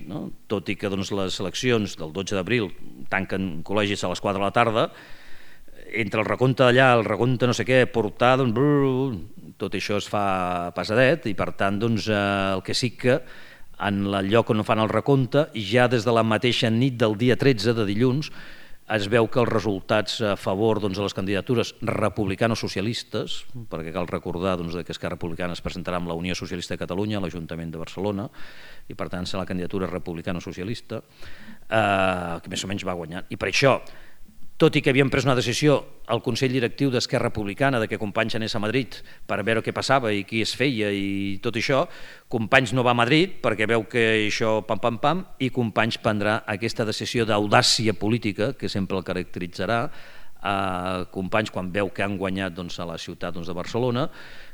tot i que les eleccions del 12 d'abril tanquen col·legis a les 4 de la tarda, entre el recompte d'allà, el recompte no sé què, portar, tot això es fa passadet, i per tant el que sí que en el lloc on fan el recompte, ja des de la mateixa nit del dia 13 de dilluns, es veu que els resultats a favor de les candidatures republicano-socialistes, perquè cal recordar que Esquerra Republicana es presentarà amb la Unió Socialista de Catalunya a l'Ajuntament de Barcelona, i per tant serà la candidatura republicano-socialista, que més o menys va guanyar. I per això, tot i que havíem pres una decisió al Consell Directiu d'Esquerra Republicana que Companys anés a Madrid per veure què passava i qui es feia i tot això, Companys no va a Madrid perquè veu que això pam, i Companys prendrà aquesta decisió d'audàcia política que sempre el caracteritzarà a Companys quan veu que han guanyat a la ciutat de Barcelona,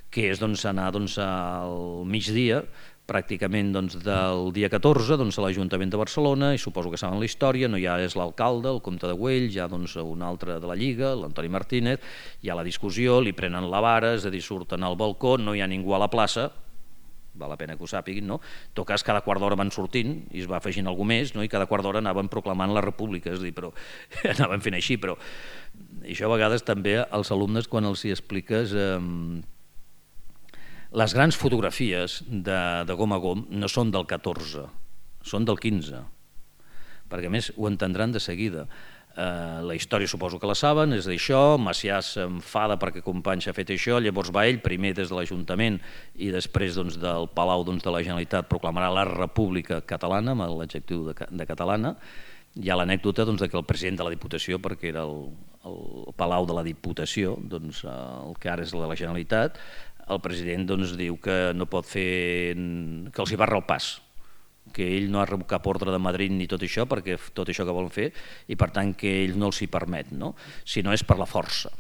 que és anar al migdia, pràcticament del dia 14 a l'Ajuntament de Barcelona, i suposo que saben la història, no ja és l'alcalde, el comte de Güell, ja un altre de la Lliga, l'Antoni Martínez, hi ha la discussió, li prenen la vara, és a dir, surten al balcó, no hi ha ningú a la plaça, val la pena que ho sàpiguin, no? En tot cas, cada quart d'hora van sortint i es va afegint algú més, i cada quart d'hora anaven proclamant la república, és a dir, però anaven fent així, però això a vegades també als alumnes quan els hi expliques les grans fotografies de Gom a Gom no són del 14, són del 15, perquè a més ho entendran de seguida. La història suposo que la saben, és d'això, Macià s'enfada perquè Companys ha fet això, llavors va ell, primer des de l'Ajuntament i després del Palau de la Generalitat proclamarà la República Catalana, amb l'adjectiu de catalana. Hi ha l'anècdota que el president de la Diputació, perquè era el Palau de la Diputació, el que ara és de la Generalitat, el president diu que no pot fer, que els hi barra el pas, que ell no ha rebut cap ordre de Madrid ni tot això, perquè tot això que volen fer, i per tant que ell no els hi permet, si no és per la força.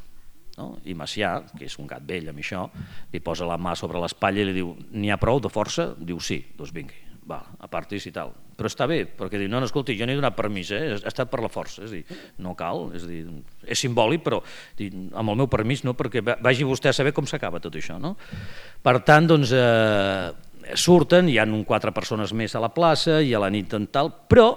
I Macià, que és un gat vell amb això, li posa la mà sobre l'espatlla i li diu, n'hi ha prou de força? Diu sí, doncs vingui, va, apartis i tal. Però està bé, perquè diu, no, escolti, jo no he donat permís, ha estat per la força, és a dir, no cal, és simbòlic, però amb el meu permís no, perquè vagi vostè a saber com s'acaba tot això, no? Per tant, surten, hi ha 4 persones més a la plaça i a la nit en tal, però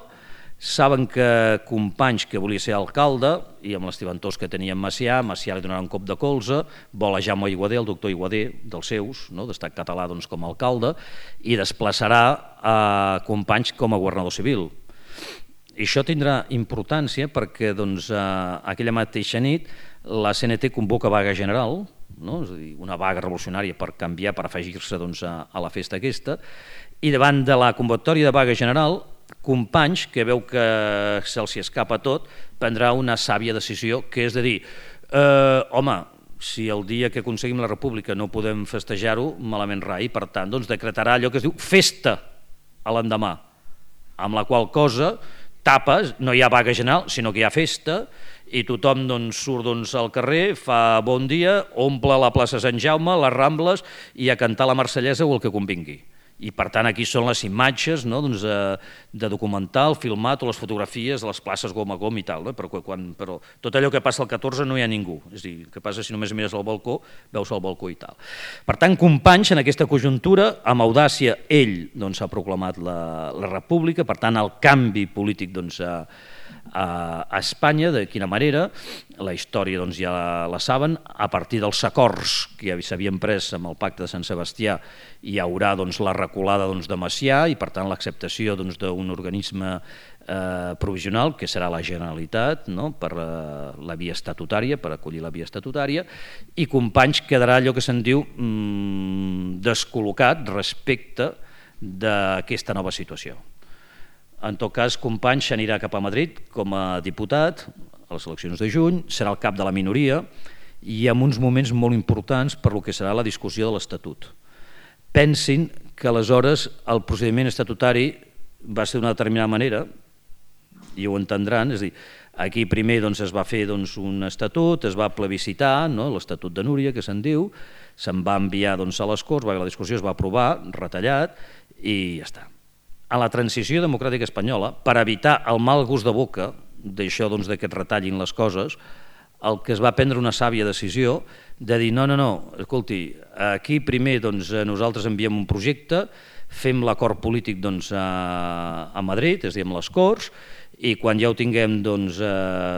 saben que Companys, que volia ser alcalde, i amb l'estiventós que tenia en Macià li donarà un cop de colze, vol a Jaume Aiguader, el doctor Aiguader, dels seus, d'estat català com a alcalde, i desplaçarà a Companys com a governador civil. I això tindrà importància perquè aquella mateixa nit la CNT convoca vaga general, no? És a dir, una vaga revolucionària per canviar, per afegir-se doncs, a la festa aquesta, i davant de la convocatòria de vaga general, Companys, que veu que se'ls escapa tot, prendrà una sàvia decisió, que és de dir, home, si el dia que aconseguim la república no podem festejar-ho, malament rai, per tant, doncs decretarà allò que es diu festa a l'endemà, amb la qual cosa tapes, no hi ha vaga general, sinó que hi ha festa, i tothom doncs, surt doncs, al carrer, fa bon dia, omple la plaça Sant Jaume, les Rambles, i a cantar la Marsellesa o el que convingui. I per tant aquí són les imatges, no? Doncs, de documental, filmat, o les fotografies de les places gom a gom i tal, no? Però tot allò que passa al 14 no hi ha ningú, és a dir, el que passa si només mires al balcó, veus el balcó i tal. Per tant, Companys, en aquesta conjuntura, amb audàcia, ell doncs, ha proclamat la república, per tant, el canvi polític doncs, a Espanya, de quina manera, la història doncs, ja la saben, a partir dels acords que s'havien pres amb el pacte de Sant Sebastià hi haurà doncs, la reculada doncs, de Macià i per tant l'acceptació doncs, d'un organisme provisional que serà la Generalitat, no? Per la via estatutària, per acollir la via estatutària, i Companys quedarà allò que se'n diu descol·locat respecte d'aquesta nova situació. En tot cas, Companys s'anirà cap a Madrid com a diputat a les eleccions de juny, serà el cap de la minoria i amb uns moments molt importants per lo que serà la discussió de l'Estatut. Pensin que aleshores el procediment estatutari va ser d'una determinada manera, i ho entendran, és a dir, aquí primer doncs, es va fer doncs, un estatut, es va plebiscitar, no? L'Estatut de Núria, que se'n diu, se'n va enviar doncs, a les Corts, la discussió es va aprovar, retallat, i ja està. A la transició democràtica espanyola, per evitar el mal gust de boca d'això doncs, que et retallin les coses, el que es va prendre una sàvia decisió de dir no, escolti, aquí primer doncs, nosaltres enviem un projecte, fem l'acord polític doncs, a Madrid, és a dir, amb les Corts, i quan ja ho tinguem doncs,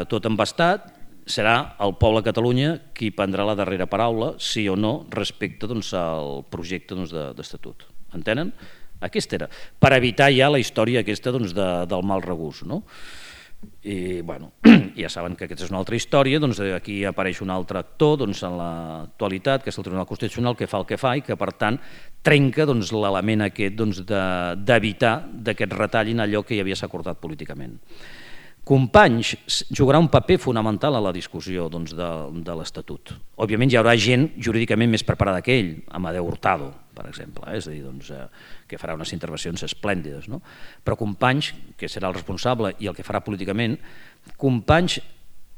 tot embastat, serà el poble de Catalunya qui prendrà la darrera paraula, sí o no, respecte doncs, al projecte doncs, d'estatut. Entenen? Aquesta era, per evitar ja la història aquesta doncs, del mal regust. No? I bueno, ja saben que aquesta és una altra història, doncs aquí apareix un altre actor doncs, en l'actualitat, que és el Tribunal Constitucional, que fa el que fa i que per tant trenca doncs, l'element aquest doncs, d'evitar que et retallin allò que ja havia s'acordat políticament. Companys jugarà un paper fonamental a la discussió doncs, de l'Estatut. Òbviament hi haurà gent jurídicament més preparada que ell, Amadeu Hurtado, per exemple, és a dir, doncs, que farà unes intervencions esplèndides. No? Però Companys, que serà el responsable i el que farà políticament, Companys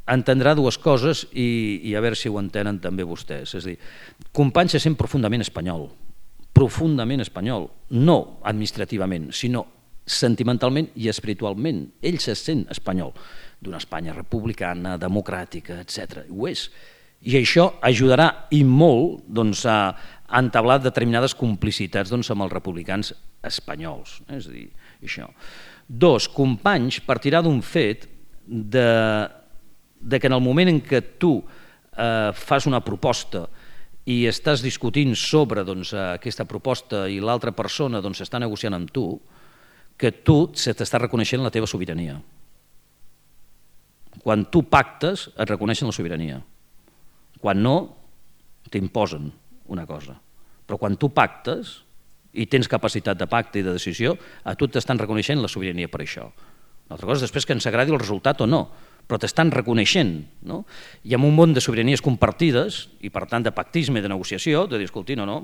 entendrà dues coses i a veure si ho entenen també vostès. És a dir, Companys se sent profundament espanyol, no administrativament, sinó sentimentalment i espiritualment. Ell se sent espanyol, d'una Espanya republicana, democràtica, etc. Ho és. I això ajudarà i molt doncs, a entablar determinades complicitats doncs, amb els republicans espanyols. És a dir, això. Dos, Companys partirà d'un fet que en el moment en què tu fas una proposta i estàs discutint sobre doncs, aquesta proposta i l'altra persona doncs, està negociant amb tu, que tu se t'està reconeixent la teva sobirania. Quan tu pactes et reconeixen la sobirania. Quan no, t'imposen una cosa. Però quan tu pactes i tens capacitat de pacte i de decisió, a tu t'estan reconeixent la sobirania per això. L'altra cosa és després que ens agradi el resultat o no, però t'estan reconeixent. No? I amb un món de sobiranies compartides i per tant de pactisme i de negociació, de dir, escolti, no,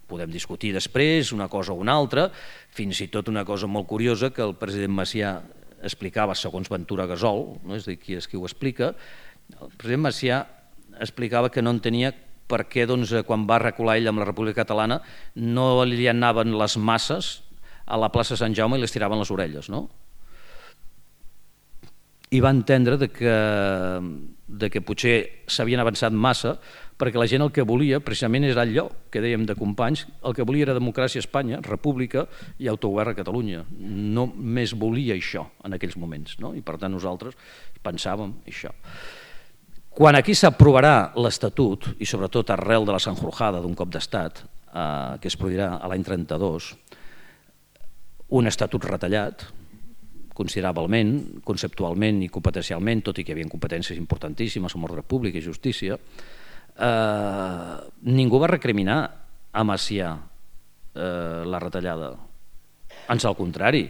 podem discutir després una cosa o una altra, fins i tot una cosa molt curiosa que el president Macià explicava segons Ventura Gasol, no? És a dir, qui és qui ho explica, el president Macià explicava que no entenia per què doncs, quan va recular ell amb la República Catalana no li anaven les masses a la plaça Sant Jaume i les tiraven les orelles, no? I va entendre que potser s'havien avançat massa perquè la gent el que volia precisament era allò que dèiem de Companys, el que volia era democràcia a Espanya, república i autogovern a Catalunya. No més volia això en aquells moments, no? I per tant nosaltres pensàvem això. Quan aquí s'aprovarà l'Estatut, i sobretot arrel de la Sanjurjada d'un cop d'estat, que es produirà a l'any 32, un estatut retallat, considerablement, conceptualment i competencialment, tot i que hi havia competències importantíssimes amb ordre públic i justícia, ningú va recriminar a Macià la retallada. Ans al contrari,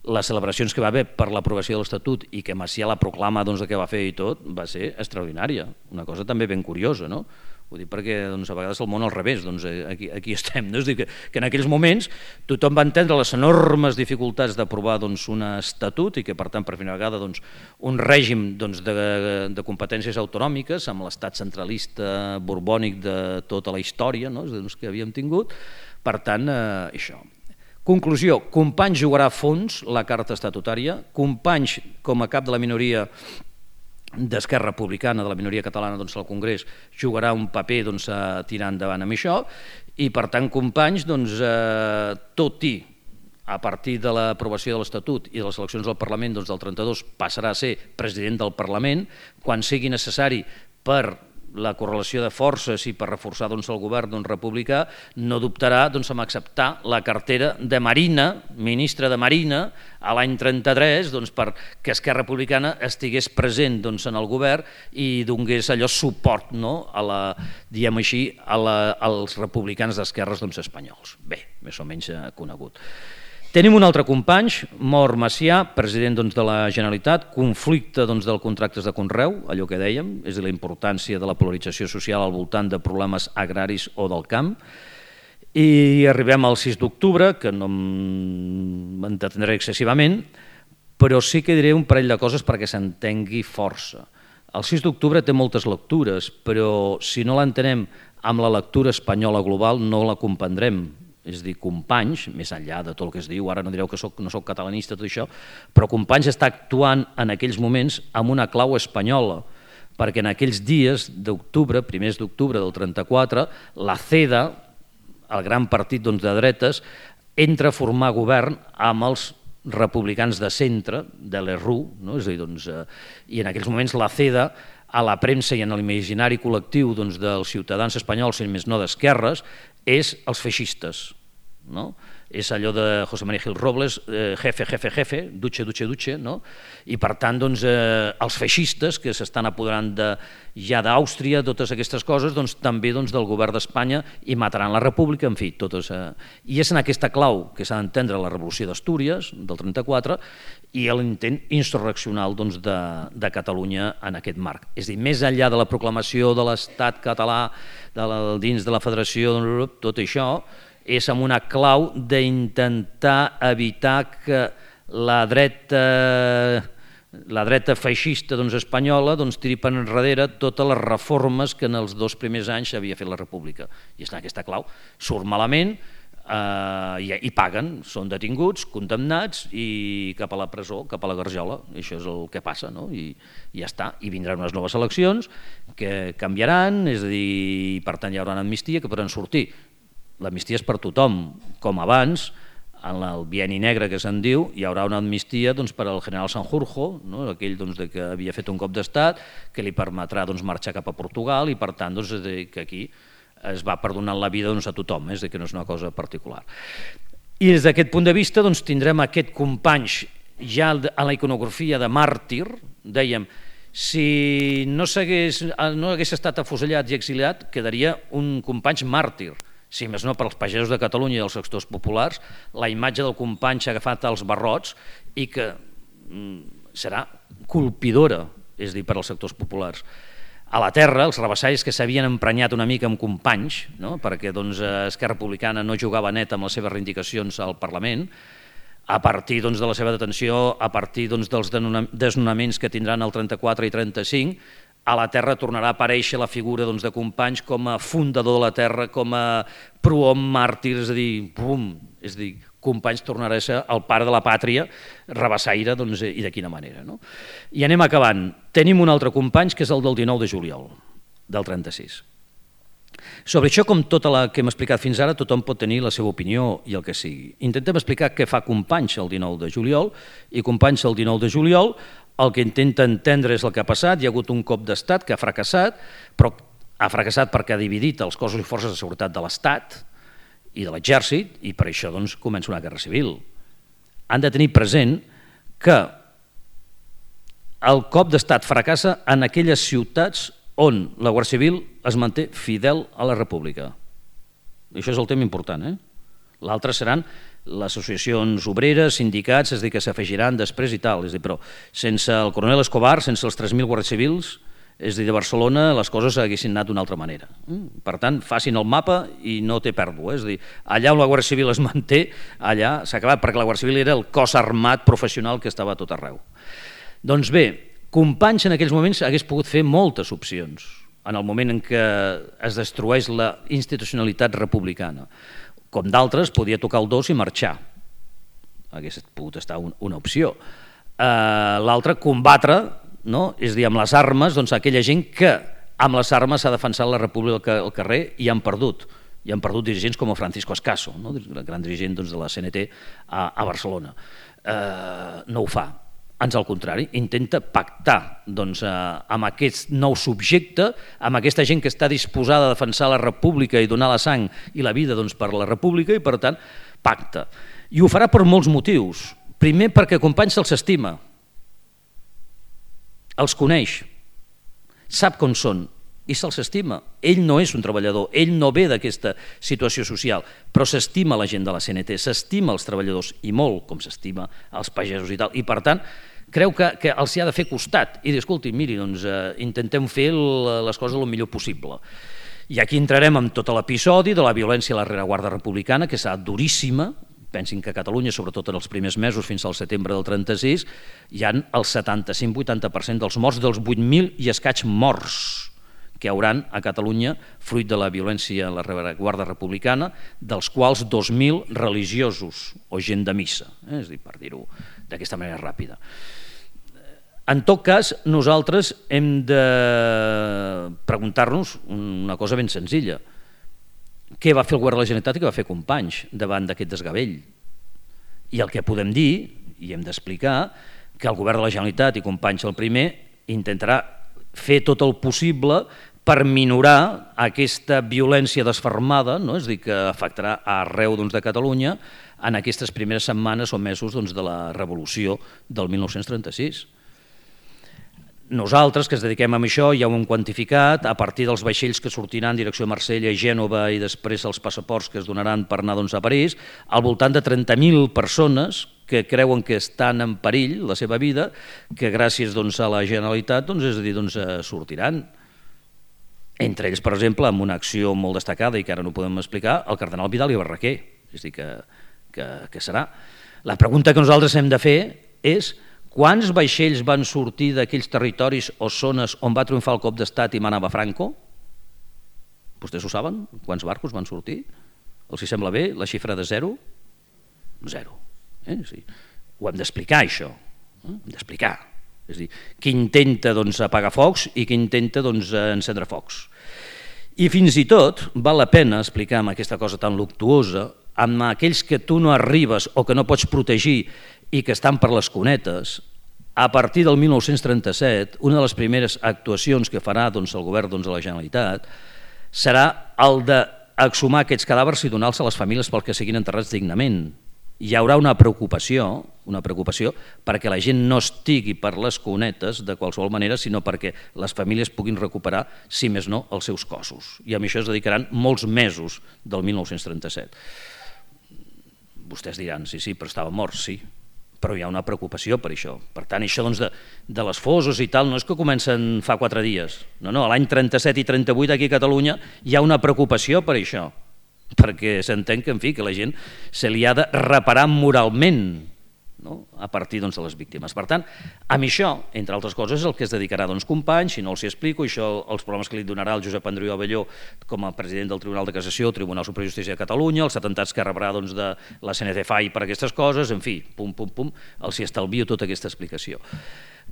les celebracions que va haver per l'aprovació de l'Estatut i que Macià la proclama que va fer i tot, va ser extraordinària. Una cosa també ben curiosa, no? Ho dic perquè a vegades el món al revés, aquí estem. És a dir, que en aquells moments tothom va entendre les enormes dificultats d'aprovar un estatut i que per tant per primera vegada un règim de competències autonòmiques amb l'estat centralista borbònic de tota la història que havíem tingut. Per tant, això. Conclusió, Companys jugarà a fons la carta estatutària, Companys com a cap de la minoria d'Esquerra Republicana, de la minoria catalana al Congrés, jugarà un paper a tirar endavant amb això i per tant Companys, tot i a partir de l'aprovació de l'Estatut i de les eleccions del Parlament del 32 passarà a ser president del Parlament, quan sigui necessari per la correlació de forces i per reforçar el govern republicà, no dubtarà en acceptar la cartera de Marina, ministre de Marina, a l'any 33, perquè Esquerra Republicana estigués present en el govern i donés allò suport als republicans d'esquerres espanyols. Bé, més o menys conegut. Tenim un altre Companys, mor Macià, president de la Generalitat, conflicte dels contractes de conreu, allò que dèiem, és la importància de la polarització social al voltant de problemes agraris o del camp, i arribem al 6 d'octubre, que no m'entretindré excessivament, però sí que diré un parell de coses perquè s'entengui força. El 6 d'octubre té moltes lectures, però si no l'entenem amb la lectura espanyola global no la comprendrem. És a dir, Companys, més enllà de tot el que es diu, ara no direu que no soc catalanista, tot això, però Companys està actuant en aquells moments amb una clau espanyola, perquè en aquells dies d'octubre, primers d'octubre del 34, la CEDA, el gran partit de dretes, entra a formar govern amb els republicans de centre, de l'ERRU, i en aquells moments la CEDA, a la premsa i en l'imaginari col·lectiu dels ciutadans espanyols, si més no d'esquerres, és els feixistes. És allò de José María Gil Robles, jefe, jefe, jefe, duche, duche, duche, i per tant els feixistes que s'estan apoderant ja d'Àustria, totes aquestes coses, també del govern d'Espanya i mataran la república, en fi, totes. I és en aquesta clau que s'ha d'entendre la revolució d'Astúries, del 34, i l'intent insurreccional de Catalunya en aquest marc. És a dir, més enllà de la proclamació de l'estat català dins de la federació, tot això és amb una clau d'intentar evitar que la dreta feixista espanyola tiri per enrere totes les reformes que en els 2 primers anys havia fet la república. I és en aquesta clau. Surt malament i paguen, són detinguts, condemnats i cap a la presó, cap a la garjola. Això és el que passa, i ja està. I vindran unes noves eleccions que canviaran, és a dir, per tant hi haurà una amnistia que podran sortir. L'amnistia és per tothom, com abans, en el bienni negre que se'n diu, hi haurà una amnistia per al general Sanjurjo, aquell que havia fet un cop d'estat, que li permetrà marxar cap a Portugal i per tant que aquí es va perdonant la vida a tothom, és que no és una cosa particular. I des d'aquest punt de vista tindrem aquest Companys ja a la iconografia de màrtir, dèiem, si no hagués estat afusellat i exiliat, quedaria un Companys màrtir. Si més no per als pagesos de Catalunya i els sectors populars, la imatge del Companys agafat als barrots i que serà colpidora, és a dir, per als sectors populars. A la terra, els rabassalls que s'havien emprenyat una mica amb Companys, perquè Esquerra Republicana no jugava net amb les seves reivindicacions al Parlament, a partir de la seva detenció, a partir dels desnonaments que tindran el 34 i 35, a la terra tornarà a aparèixer la figura de Companys com a fundador de la terra, com a prohom màrtir, és a dir, Companys tornarà a ser el pare de la pàtria, rabassaire, i de quina manera. I anem acabant. Tenim un altre Companys, que és el del 19 de juliol, del 36. Sobre això, com tot el que hem explicat fins ara, tothom pot tenir la seva opinió i el que sigui. Intentem explicar què fa Companys el 19 de juliol, i Companys el 19 de juliol el que intenta entendre és el que ha passat. Hi ha hagut un cop d'estat que ha fracassat, però ha fracassat perquè ha dividit els cossos i forces de seguretat de l'Estat i de l'exèrcit, i per això comença una guerra civil. Han de tenir present que el cop d'estat fracassa en aquelles ciutats on la Guàrdia Civil es manté fidel a la República. I això és el tema important. L'altre seran les associacions obreres, sindicats, és a dir, que s'afegiran després i tal. És a dir, però sense el coronel Escobar, sense els 3.000 guàrdies civils, és a dir, de Barcelona les coses haguessin anat d'una altra manera. Per tant, facin el mapa i no té pèrdua. És a dir, allà on la Guàrdia Civil es manté, allà s'ha acabat, perquè la Guàrdia Civil era el cos armat professional que estava a tot arreu. Doncs bé, Companys en aquells moments hagués pogut fer moltes opcions en el moment en què es destrueix la institucionalitat republicana. Com d'altres, podia tocar el dos i marxar. Hagués pogut estar una opció. L'altra, combatre, és a dir, amb les armes, aquella gent que amb les armes s'ha defensat la república al carrer i han perdut. I han perdut dirigents com Francisco Escaso, el gran dirigent de la CNT a Barcelona. No ho fa. Ans al contrari, intenta pactar amb aquest nou subjecte, amb aquesta gent que està disposada a defensar la república i donar la sang i la vida per la república i, per tant, pacta. I ho farà per molts motius. Primer, perquè Companys se'ls estima, els coneix, sap com són i se'ls estima. Ell no és un treballador, ell no ve d'aquesta situació social, però s'estima la gent de la CNT, s'estima els treballadors i molt, com s'estima els pagesos i tal, i per tant creu que els hi ha de fer costat i dir, escolti, miri, intentem fer les coses el millor possible. I aquí entrarem en tot l'episodi de la violència a la rereguarda republicana, que serà duríssima. Pensin que a Catalunya, sobretot en els primers mesos fins al setembre del 36, hi ha el 75-80% dels morts, dels 8.000 i escaig morts que hi hauran a Catalunya fruit de la violència a la rereguarda republicana, dels quals 2.000 religiosos o gent de missa, és a dir, per dir-ho d'aquesta manera ràpida. En tot cas, nosaltres hem de preguntar-nos una cosa ben senzilla. Què va fer el govern de la Generalitat i què va fer Companys davant d'aquest desgavell? I el que podem dir, i hem d'explicar, que el govern de la Generalitat i Companys el primer intentarà fer tot el possible per minorar aquesta violència desfermada, és a dir, que afectarà arreu de Catalunya en aquestes primeres setmanes o mesos de la revolució del 1936. Nosaltres, que ens dediquem a això, ja ho hem quantificat, a partir dels vaixells que sortiran en direcció a Marsella i Gènova i després els passaports que es donaran per anar a París, al voltant de 30.000 persones que creuen que estan en perill la seva vida, que gràcies a la Generalitat sortiran. Entre ells, per exemple, amb una acció molt destacada i que ara no podem explicar, el cardenal Vidal i Barraquer, és a dir, que serà. La pregunta que nosaltres hem de fer és quants vaixells van sortir d'aquells territoris o zones on va triomfar el cop d'estat i manava Franco? Vostès ho saben? Quants barcos van sortir? Els hi sembla bé la xifra de zero? Zero. Ho hem d'explicar, això. Hem d'explicar. És a dir, qui intenta apagar focs i qui intenta encendre focs. I fins i tot val la pena explicar amb aquesta cosa tan luctuosa, amb aquells que tu no arribes o que no pots protegir i que estan per les cunetes, a partir del 1937, una de les primeres actuacions que farà el govern de la Generalitat serà el d'exhumar aquests cadàvers i donar-los a les famílies pel que siguin enterrats dignament. Hi haurà una preocupació perquè la gent no estigui per les cunetes de qualsevol manera, sinó perquè les famílies puguin recuperar, si més no, els seus cossos. I a això es dedicaran molts mesos del 1937. Vostès diran, sí, però estava mort, sí, però hi ha una preocupació per això. Per tant, això de les fosses i tal no és que comencen fa 4 dies. No, l'any 37 i 38 aquí a Catalunya hi ha una preocupació per això, perquè s'entén que la gent se li ha de reparar moralment a partir de les víctimes. Per tant, amb això, entre altres coses, és el que es dedicarà Companys, si no els hi explico, això els problemes que li donarà el Josep Andreu Abelló com a president del Tribunal de Cassació, Tribunal Superior de Justícia de Catalunya, els atemptats que rebrà de la CNT-FAI per aquestes coses, en fi, els hi estalvio tota aquesta explicació.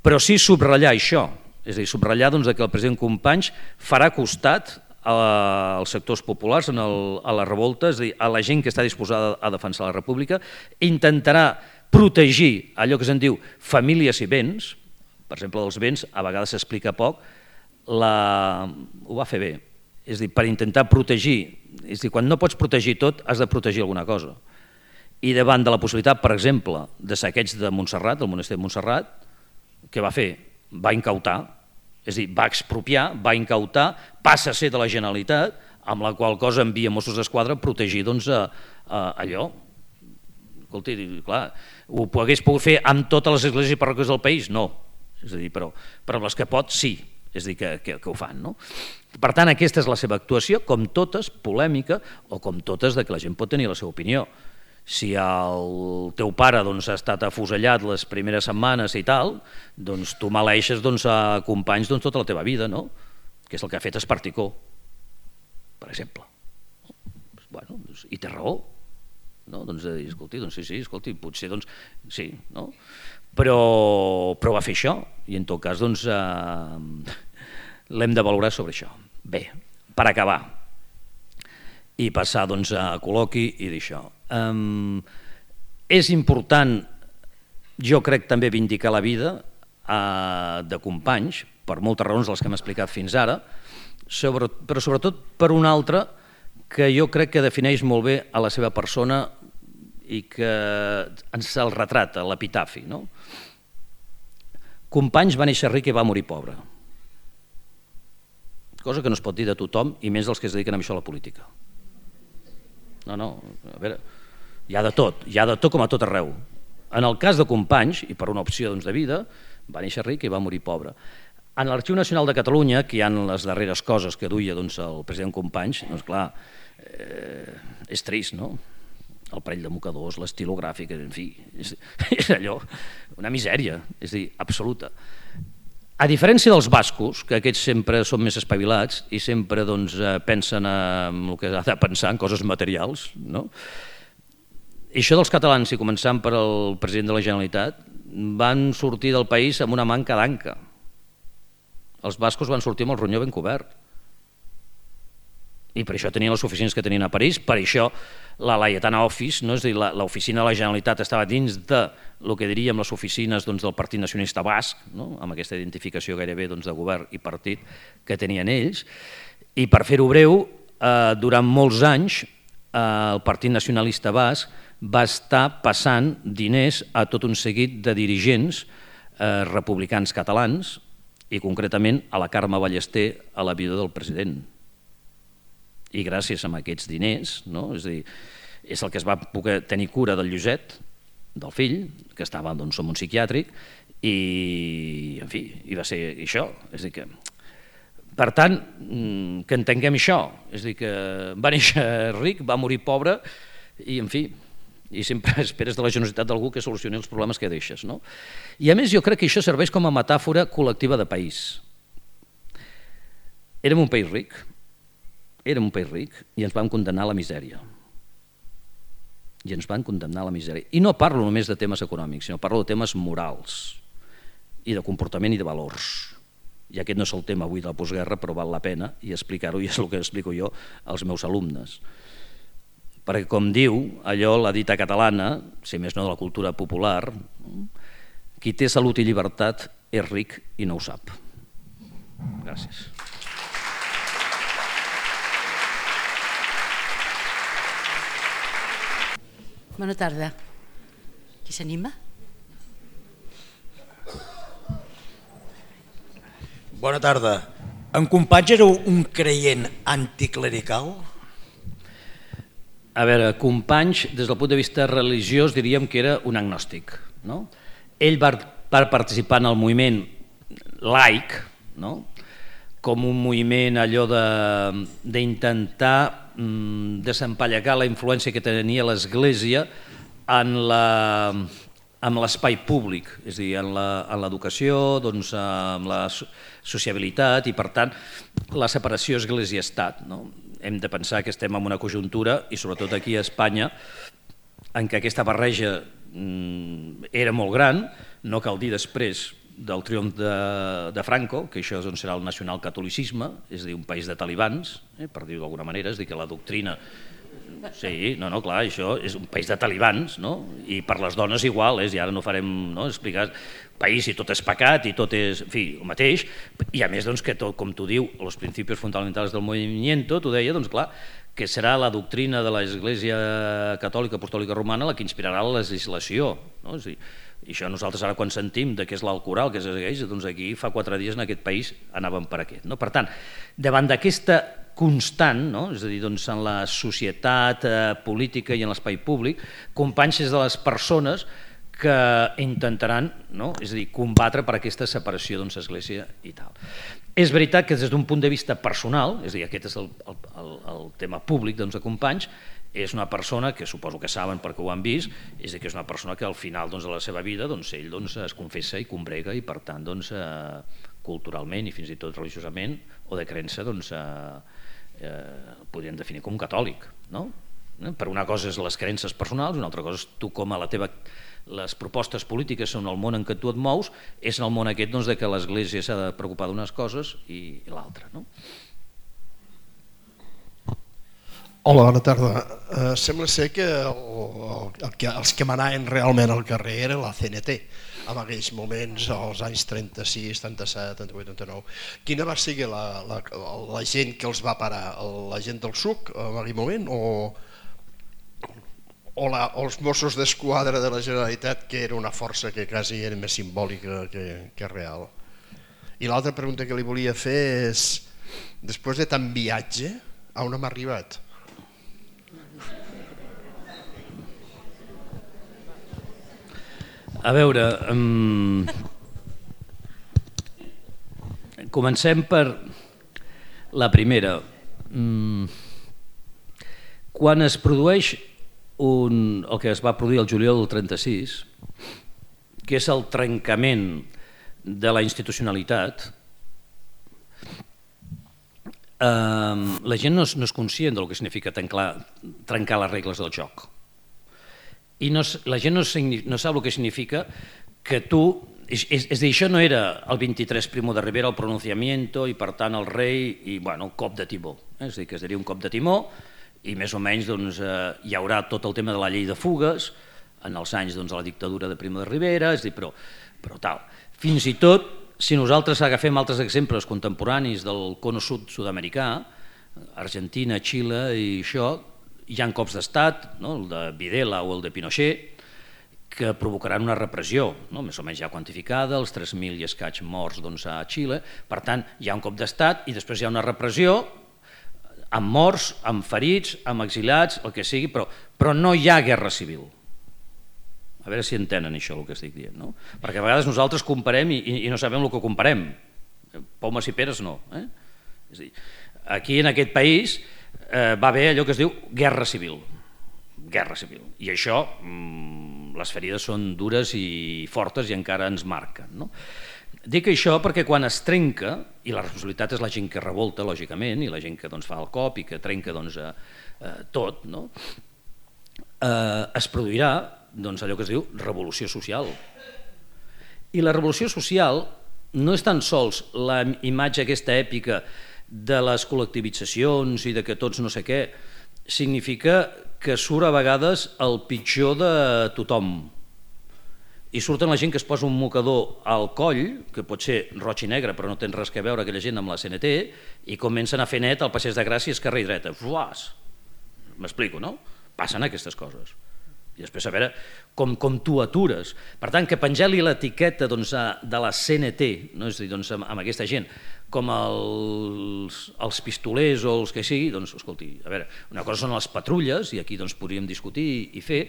Però sí subratllar això, és a dir, subratllar que el president Companys farà costat als sectors populars, a la revolta, és a dir, a la gent que està disposada a defensar la república, intentarà protegir allò que se'n diu famílies i béns. Per exemple, dels béns a vegades s'explica poc, ho va fer bé, és a dir, per intentar protegir, és a dir, quan no pots protegir tot has de protegir alguna cosa, I davant de la possibilitat, per exemple, de saqueig de Montserrat, del monestir de Montserrat, què va fer? Va incautar, és a dir, va expropiar, va incautar, passa a ser de la Generalitat, amb la qual cosa envia Mossos d'Esquadra a protegir allò. Escolti, clar, ho hagués pogut fer amb totes les esglésies i parròquies del país? No, és a dir, però amb les que pot, sí, és a dir, que ho fan. No? Per tant, aquesta és la seva actuació, com totes, polèmica, o com totes de que la gent pot tenir la seva opinió. Si el teu pare ha estat afusellat les primeres setmanes i tal, doncs tu maleixes a companys tota la teva vida, no? Que és el que ha fet Esparticó, per exemple. Bueno, i té raó. Escolti, sí, escolti, potser sí, no? Però va fer això i en tot cas l'hem de valorar sobre això. Bé, per acabar i passar a col·loqui i dir això. És important, jo crec, també vindicar la vida de companys, per moltes raons de les que hem explicat fins ara, però sobretot per una altra que jo crec que defineix molt bé a la seva persona i que ens el retrata, l'epitafi. Companys va néixer ric i va morir pobre. Cosa que no es pot dir de tothom, i més dels que es dediquen a això a la política. No, a veure, hi ha de tot com a tot arreu. En el cas de Companys, i per una opció de vida, va néixer ric i va morir pobre. En l'Arxiu Nacional de Catalunya, que hi ha les darreres coses que duia el president Companys, doncs clar, és trist, no? El parell de mocadors, l'estilogràfic, en fi, és allò, una misèria, és a dir, absoluta. A diferència dels bascos, que aquests sempre són més espavilats i sempre pensen en el que ha de pensar, en coses materials, no? I això dels catalans, i començant per el president de la Generalitat, van sortir del país amb una manca d'anca. Els bascos van sortir amb el ronyó ben cobert. I per això tenien les oficines que tenien a París, per això la Laietana Office, no? És a dir, l'oficina de la Generalitat estava dins de el que diríem les oficines del Partit Nacionalista Basc, no? Amb aquesta identificació gairebé de govern i partit que tenien ells, i per fer-ho breu, durant molts anys el Partit Nacionalista Basc va estar passant diners a tot un seguit de dirigents republicans catalans i concretament a la Carme Ballester, a la viuda del president. I gràcies a aquests diners, no? És a dir, és el que es va poder tenir cura del Lluset, del fill, que estava en un psiquiàtric, i en fi, i va ser això. És a dir que, per tant, que entenguem això, és a dir que va néixer ric, va morir pobre, i en fi, i sempre esperes de la generositat d'algú que solucioni els problemes que deixes, no? I a més jo crec que això serveix com a metàfora col·lectiva de país. Érem un país ric, i ens van condemnar a la misèria. I no parlo només de temes econòmics, sinó parlo de temes morals i de comportament i de valors. I aquest no és el tema avui de la postguerra, però val la pena i explicar-ho, i és el que explico jo als meus alumnes. Perquè, com diu allò, la dita catalana, si més no de la cultura popular, qui té salut i llibertat és ric i no ho sap. Gràcies. Bona tarda. Qui s'anima? Bona tarda. En Companys era un creient anticlerical? A veure, Companys, des del punt de vista religiós, diríem que era un agnòstic. Ell va participar en el moviment laic, com un moviment allò d'intentar desempallegar la influència que tenia l'Església en l'espai públic, és a dir, en l'educació, amb la sociabilitat i, per tant, la separació Església-Estat. Hem de pensar que estem en una conjuntura, i sobretot aquí a Espanya, en què aquesta barreja era molt gran, no cal dir després del triomf de Franco, que això serà el nacionalcatolicisme, és a dir, un país de talibans, per dir-ho d'alguna manera, és a dir, que la doctrina... Sí, clar, això és un país de talibans, i per les dones igual, i ara no farem explicar país i tot és pecat i tot és, en fi, el mateix, i a més que tot, com tu diu, els principis fonamentals del movimiento, tu deia, doncs clar, que serà la doctrina de l'Església Catòlica Apostòlica Romana la que inspirarà la legislació. No? És a dir, i això nosaltres ara quan sentim de què és l'Alcorà, què és l'Església, doncs aquí fa 4 dies en aquest país anàvem per aquest. No? Per tant, davant d'aquesta constant, no? És a dir, doncs en la societat política i en l'espai públic, companys és de les persones que intentaran, no? És a dir, combatre per aquesta separació d'Església i tal. És veritat que des d'un punt de vista personal, és a dir, aquest és el tema públic de companys, és una persona que suposo que saben perquè ho han vist, és a dir, que és una persona que al final de la seva vida ell es confessa i combrega i per tant culturalment i fins i tot religiosament o de creença podríem definir com catòlic. No? Per una cosa és les creences personals, una altra cosa és tu com a les propostes polítiques són el món en què tu et mous, és en el món aquest de que l'Església s'ha de preocupar d'unes coses i l'altra. No? Hola, bona tarda. Sembla ser que els que manaven realment al carrer era la CNT, en aquells moments, als anys 36, 37, 38, 39. Quina va ser la gent que els va parar? La gent del SUC en aquell moment o els Mossos d'Esquadra de la Generalitat, que era una força que quasi era més simbòlica que real? I l'altra pregunta que li volia fer és, després de tant viatge, a on hem arribat? A veure, comencem per la primera. Quan es produeix el que es va produir el juliol del 36, que és el trencament de la institucionalitat, la gent no és conscient del que significa trencar les regles del joc. I la gent no sap el que significa que tu... És a dir, això no era el 23 Primo de Rivera, el pronunciamiento, i per tant el rei, i el cop de timó. És a dir, que es diria un cop de timó, i més o menys hi haurà tot el tema de la llei de fugues, en els anys de la dictadura de Primo de Rivera, és a dir, però tal. Fins i tot, si nosaltres agafem altres exemples contemporanis del cono sud-americà, Argentina, Xile i això, hi ha cops d'estat, el de Videla o el de Pinochet, que provocaran una repressió, més o menys ja quantificada, els 3.000 i escaig morts a Xile. Per tant, hi ha un cop d'estat i després hi ha una repressió amb morts, amb ferits, amb exiliats, el que sigui, però no hi ha guerra civil. A veure si entenen això el que estic dient. Perquè a vegades nosaltres comparem i no sabem el que comparem. Pomes i peres no. És a dir, aquí en aquest país va haver allò que es diu guerra civil. I això, les ferides són dures i fortes i encara ens marquen. Dic això perquè quan es trenca, i la responsabilitat és la gent que revolta, lògicament, i la gent que fa el cop i que trenca tot, es produirà allò que es diu revolució social. I la revolució social no és tan sols la imatge aquesta èpica de les col·lectivitzacions i de que tots no sé què, significa que surt a vegades el pitjor de tothom. I surten la gent que es posa un mocador al coll, que pot ser roig i negre, però no té res a veure aquella gent amb la CNT, i comencen a fer net al Passeig de Gràcia, esquerra i dreta. Fuàs! M'explico, no? Passen aquestes coses. I després a veure com tu atures. Per tant, que penjar-li l'etiqueta de la CNT, és a dir, amb aquesta gent, com els pistolers o els que sigui, doncs, escolti, a veure, una cosa són les patrulles, i aquí podríem discutir i fer,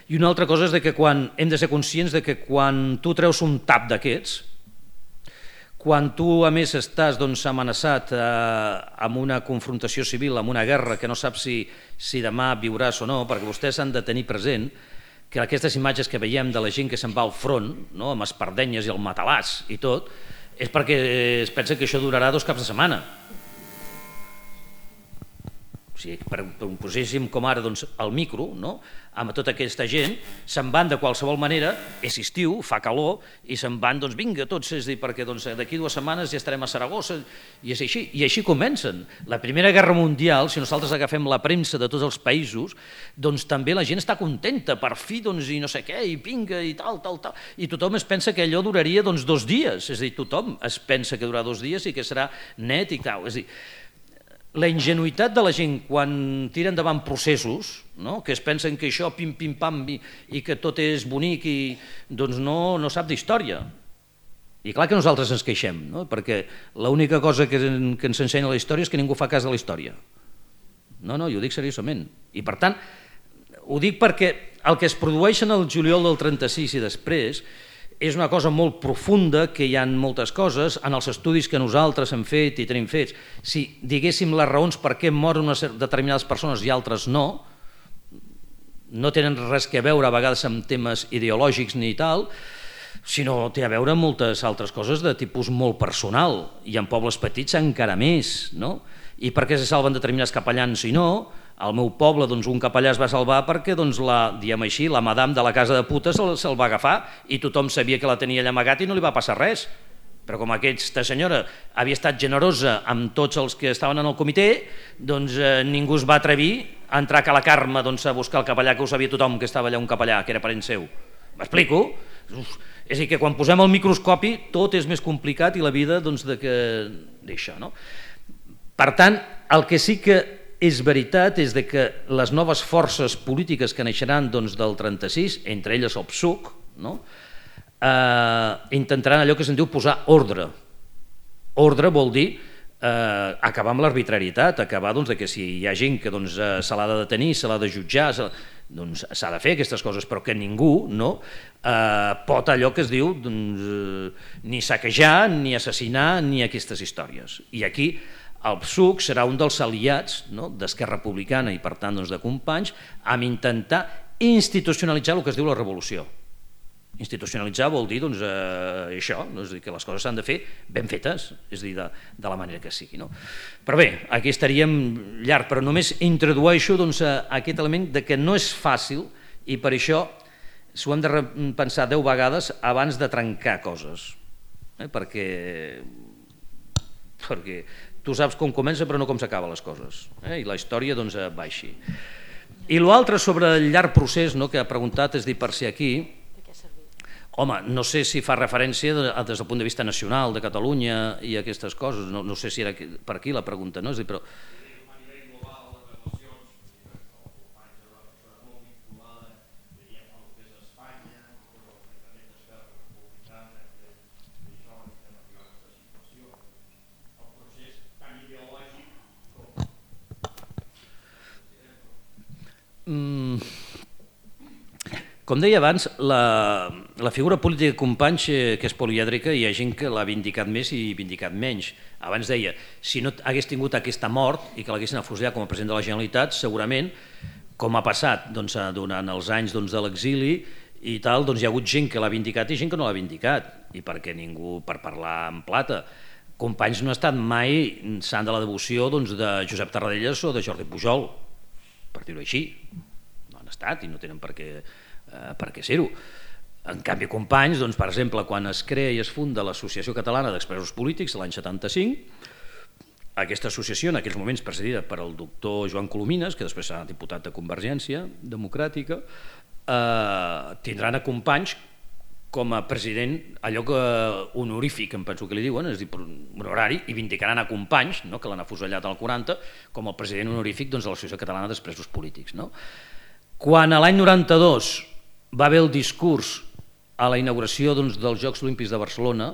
i una altra cosa és que hem de ser conscients que quan tu treus un tap d'aquests, quan tu a més estàs amenaçat amb una confrontació civil, amb una guerra que no saps si demà viuràs o no, perquè vostès han de tenir present que aquestes imatges que veiem de la gent que se'n va al front, amb espardenyes i el matalàs i tot, és perquè es pensa que això durarà 2 caps de setmana. O sigui, poséssim com ara el micro, amb tota aquesta gent, se'n van de qualsevol manera, és estiu, fa calor, i se'n van, vinga, tots, és a dir, perquè d'aquí 2 setmanes ja estarem a Saragossa, i és així, i així comencen. La Primera Guerra Mundial, si nosaltres agafem la premsa de tots els països, també la gent està contenta, per fi, i no sé què, i vinga, i tal, i tothom es pensa que allò duraria 2 dies, és a dir, tothom es pensa que durarà 2 dies i que serà net i tal, és a dir, la ingenuïtat de la gent quan tira endavant processos, que es pensen que això pim pim pam i que tot és bonic i doncs no sap d'història. I clar que nosaltres ens queixem, perquè l'única cosa que ens ensenya la història és que ningú fa cas de la història. No, jo ho dic seriosament. I per tant, ho dic perquè el que es produeix en el juliol del 36 i després és una cosa molt profunda, que hi ha moltes coses, en els estudis que nosaltres hem fet i tenim fets. Si diguéssim les raons per què moren determinades persones i altres no tenen res a veure a vegades amb temes ideològics ni tal, sinó té a veure amb moltes altres coses de tipus molt personal, i en pobles petits encara més, I per què se salven determinats capellans i no? Al meu poble un capellà es va salvar perquè diguem així, la madame de la casa de putes se'l va agafar i tothom sabia que la tenia allà amagat i no li va passar res. Però com aquesta senyora havia estat generosa amb tots els que estaven en el comitè, doncs ningú es va atrevir a entrar a la Carme a buscar el capellà, que ho sabia tothom que estava allà un capellà, que era parent seu. M'explico? És a dir, que quan posem el microscopi tot és més complicat i la vida d'això. Per tant, el que sí que és veritat és que les noves forces polítiques que naixeran del 36, entre elles el PSUC, intentaran allò que se'n diu posar ordre. Ordre vol dir acabar amb l'arbitrarietat, acabar que si hi ha gent que se l'ha de detenir, se l'ha de jutjar, doncs s'ha de fer aquestes coses, però que ningú pot allò que es diu ni saquejar, ni assassinar, ni aquestes històries. I aquí el PSUC serà un dels aliats d'Esquerra Republicana i per tant de Companys amb intentar institucionalitzar el que es diu la revolució. Institucionalitzar vol dir això, és a dir, que les coses s'han de fer ben fetes, és a dir, de la manera que sigui. Però bé, aquí estaríem llarg, però només introdueixo aquest element de que no és fàcil i per això s'ho hem de repensar 10 vegades abans de trencar coses, perquè tu saps com comença però no com s'acaben les coses, i la història va així. I l'altre sobre el llarg procés que ha preguntat, és dir, per ser aquí, home, no sé si fa referència des del punt de vista nacional de Catalunya i aquestes coses, no sé si era per aquí la pregunta, no? És dir, però... Com deia abans, la figura política de Companys, que és polièdrica, hi ha gent que l'ha vindicat més i vindicat menys. Abans deia, si no hagués tingut aquesta mort i que l'haguessin afusellat com a president de la Generalitat, segurament, com ha passat durant els anys de l'exili i tal, hi ha hagut gent que l'ha vindicat i gent que no l'ha vindicat, i perquè ningú, per parlar en plata, Companys no ha estat mai sant de la devoció de Josep Tarradellas o de Jordi Pujol, per dir-ho així. No han estat i no tenen per què ser-ho. En canvi, Companys, per exemple, quan es crea i es funda l'Associació Catalana d'Expresos Polítics l'any 75, aquesta associació, en aquells moments presidida per el doctor Joan Colomines, que després serà diputat de Convergència Democràtica, tindran a Companys com a president, allò que honorífic, em penso que li diuen, és a dir, honorari, i vindicaran a Companys, que l'han afusellat al 40, com el president honorífic de l'Associació Catalana d'Expresos Polítics. Quan a l'any 92 va haver el discurs a la inauguració dels Jocs Olímpics de Barcelona,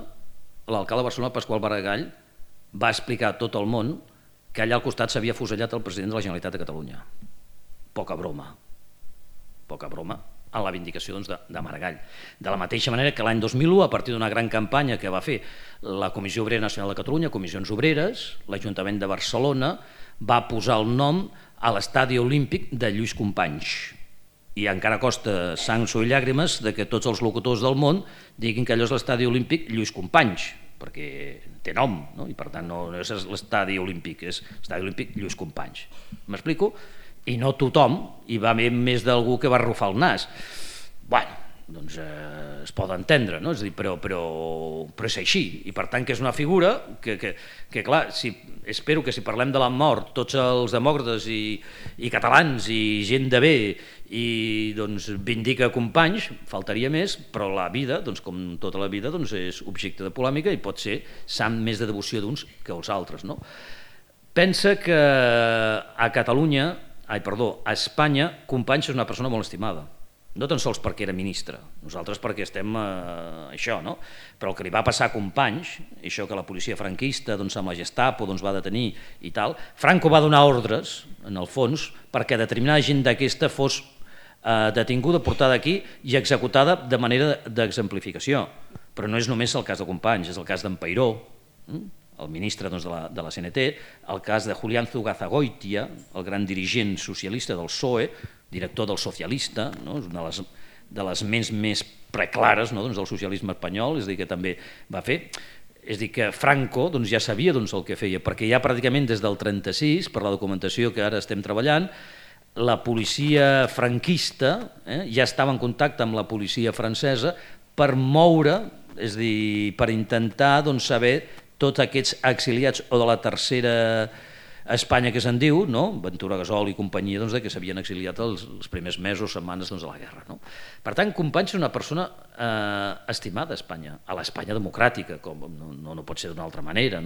l'alcalde de Barcelona, Pasqual Maragall, va explicar a tot el món que allà al costat s'havia afusellat el president de la Generalitat de Catalunya. Poca broma en la vindicació de Maragall. De la mateixa manera que l'any 2001, a partir d'una gran campanya que va fer la Comissió Obrera Nacional de Catalunya, Comissions Obreres, l'Ajuntament de Barcelona va posar el nom a l'estadi olímpic de Lluís Companys. I encara costa sang, suor i llàgrimes que tots els locutors del món diguin que allò és l'estadi olímpic Lluís Companys, perquè té nom, i per tant no és l'estadi olímpic, és l'estadi olímpic Lluís Companys. M'explico? I no tothom, hi va haver més d'algú que va arrufar el nas. Bé, doncs es pot entendre, no? És a dir, però és així, i per tant que és una figura que clar, espero que si parlem de la mort, tots els demòcrates i catalans i gent de bé i vindica Companys, faltaria més, però la vida, com tota la vida, és objecte de polèmica i pot ser sant més de devoció d'uns que els altres, no? Pensa que a Catalunya, a Espanya, Companys és una persona molt estimada. No tan sols perquè era ministre, nosaltres perquè estem això, no? Però el que li va passar a Companys, això que la policia franquista amb la Gestapo va detenir i tal, Franco va donar ordres, en el fons, perquè determinada gent d'aquesta fos detinguda, portada aquí i executada de manera d'exemplificació. Però no és només el cas de Companys, és el cas d'en Peiró, el ministre de la CNT, el cas de Julián Zugazagoitia, el gran dirigent socialista del PSOE, director del Socialista, és una de les ments més preclares del socialisme espanyol, és a dir, que també va fer. És a dir, que Franco ja sabia el que feia, perquè ja pràcticament des del 36, per la documentació que ara estem treballant, la policia franquista ja estava en contacte amb la policia francesa per moure, és a dir, per intentar saber tots aquests exiliats o de la tercera Espanya que se'n diu, Ventura Gasol i companyia, que s'havien exiliat els primers mesos, setmanes de la guerra. Per tant, Companys és una persona estimada a Espanya, a l'Espanya democràtica, com no pot ser d'una altra manera,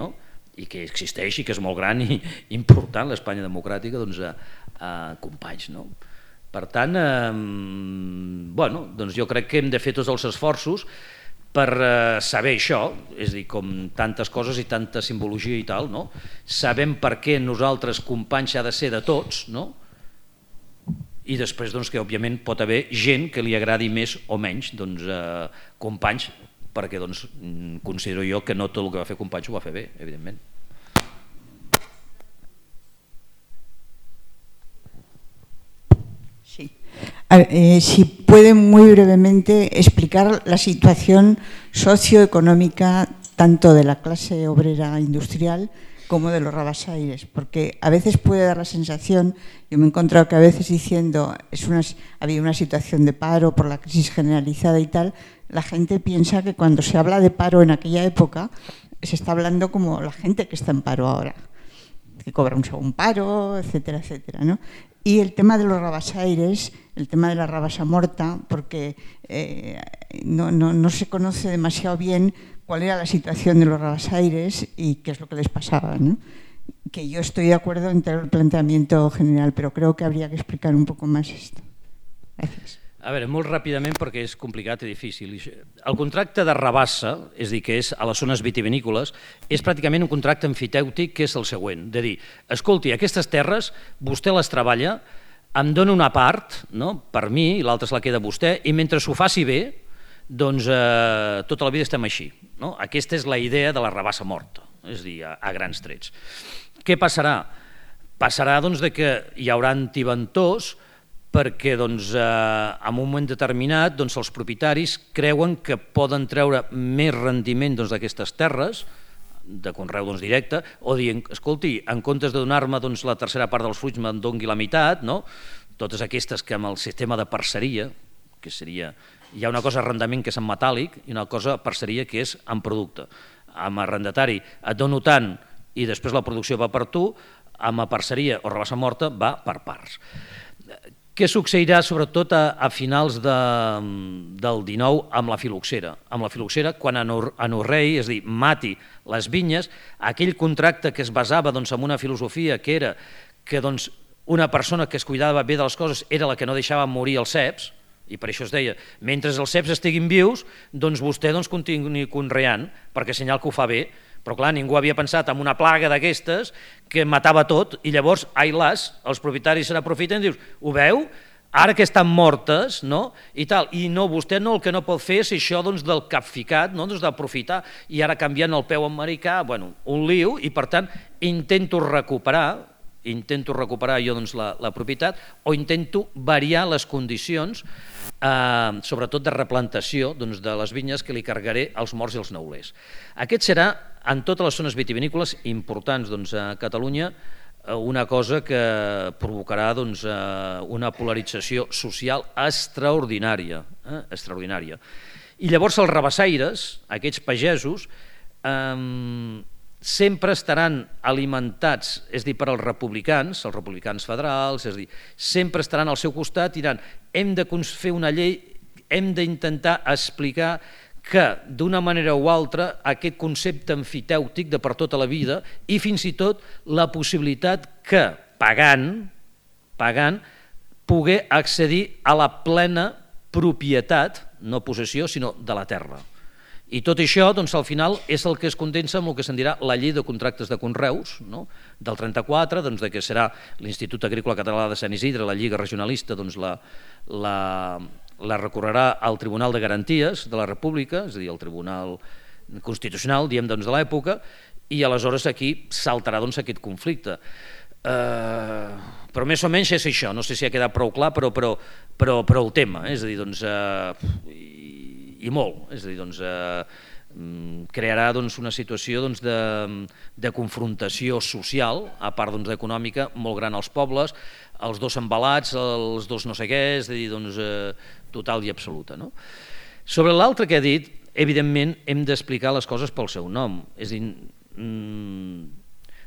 i que existeix i que és molt gran i important, l'Espanya democràtica, a Companys. Per tant, jo crec que hem de fer tots els esforços per saber això, és a dir, com tantes coses i tanta simbologia i tal, sabem per què nosaltres Companys ha de ser de tots, i després que òbviament pot haver gent que li agradi més o menys Companys, perquè considero jo que no tot el que va fer Companys ho va fer bé, evidentment. Sí. Si puede muy brevemente explicar la situación socioeconómica tanto de la clase obrera industrial como de los rabasaires, porque a veces puede dar la sensación, yo me he encontrado que a veces diciendo había una situación de paro por la crisis generalizada y tal, la gente piensa que cuando se habla de paro en aquella época se está hablando como la gente que está en paro ahora, que cobra un segundo paro, etcétera, etcétera, ¿no? Y el tema de los rabasaires, el tema de la rabasa morta, porque no se conoce demasiado bien cuál era la situación de los rabasaires y qué es lo que les pasaba, ¿no? Que yo estoy de acuerdo en todo el planteamiento general, però creo que habría que explicar un poco más esto. Gracias. A veure, molt ràpidament perquè és complicat i difícil. El contracte de rabassa, és a dir, que és a les zones vitivinícoles, és pràcticament un contracte emfitèutic que és el següent, de dir, escolti, aquestes terres vostè les treballa, em dona una part per mi, i l'altra se la queda vostè, i mentre s'ho faci bé, doncs tota la vida estem així. Aquesta és la idea de la rabassa morta, és a dir, a grans trets. Què passarà? Passarà que hi haurà antiventors perquè en un moment determinat els propietaris creuen que poden treure més rendiment d'aquestes terres, de conreu directe, o dient, escolti, en comptes de donar-me la tercera part dels fruits me'n doni la meitat, totes aquestes que amb el sistema de parceria, que seria, hi ha una cosa arrendament que és en metàl·lic i una cosa parceria que és en producte. Amb arrendatari et dono tant i després la producció va per tu, amb parceria o rabassa morta va per parts. Què succeirà sobretot a finals del XIX amb la filoxera? Amb la filoxera, quan anorrei, és a dir, mati les vinyes, aquell contracte que es basava en una filosofia que era que una persona que es cuidava bé de les coses era la que no deixava morir els ceps, i per això es deia, mentre els ceps estiguin vius, vostè continuï conreant, perquè senyal que ho fa bé. Però clar, ningú havia pensat en una plaga d'aquestes que matava tot i llavors, ai las, els propietaris se n'aprofiten i dius, ho veu? Ara que estan mortes, i tal, i no, vostè el que no pot fer és això del capficat, d'aprofitar, i ara canviant el peu americà, un lío, i per tant intento recuperar jo la propietat o intento variar les condicions, sobretot de replantació de les vinyes que li carregaré als morts i als neulers. Aquest serà, en totes les zones vitivinícoles importants a Catalunya, una cosa que provocarà una polarització social extraordinària. I llavors els rabassaires, aquests pagesos, sempre estaran alimentats, és a dir, per als republicans federals, és a dir, sempre estaran al seu costat i diran hem de fer una llei, hem d'intentar explicar que d'una manera o altra aquest concepte emfitèutic de per tota la vida i fins i tot la possibilitat que pagant poder accedir a la plena propietat, no possessió, sinó de la terra. I tot això, doncs, al final, és el que es condensa amb el que se'n dirà la llei de contractes de conreus, no? Del 34, doncs, que serà l'Institut Agrícola Català de Sant Isidre, la Lliga Regionalista, doncs, la recorrerà al Tribunal de Garanties de la República, és a dir, al Tribunal Constitucional, diem, doncs, de l'època, i aleshores aquí saltarà, doncs, aquest conflicte. Però més o menys és això, no sé si ha quedat prou clar, però el tema, és a dir, doncs, i molt, és a dir, doncs, crearà una situació de confrontació social, a part econòmica, molt gran als pobles, els dos embalats, els dos no sé què, és a dir, total i absoluta. Sobre l'altre que he dit, evidentment hem d'explicar les coses pel seu nom, és a dir,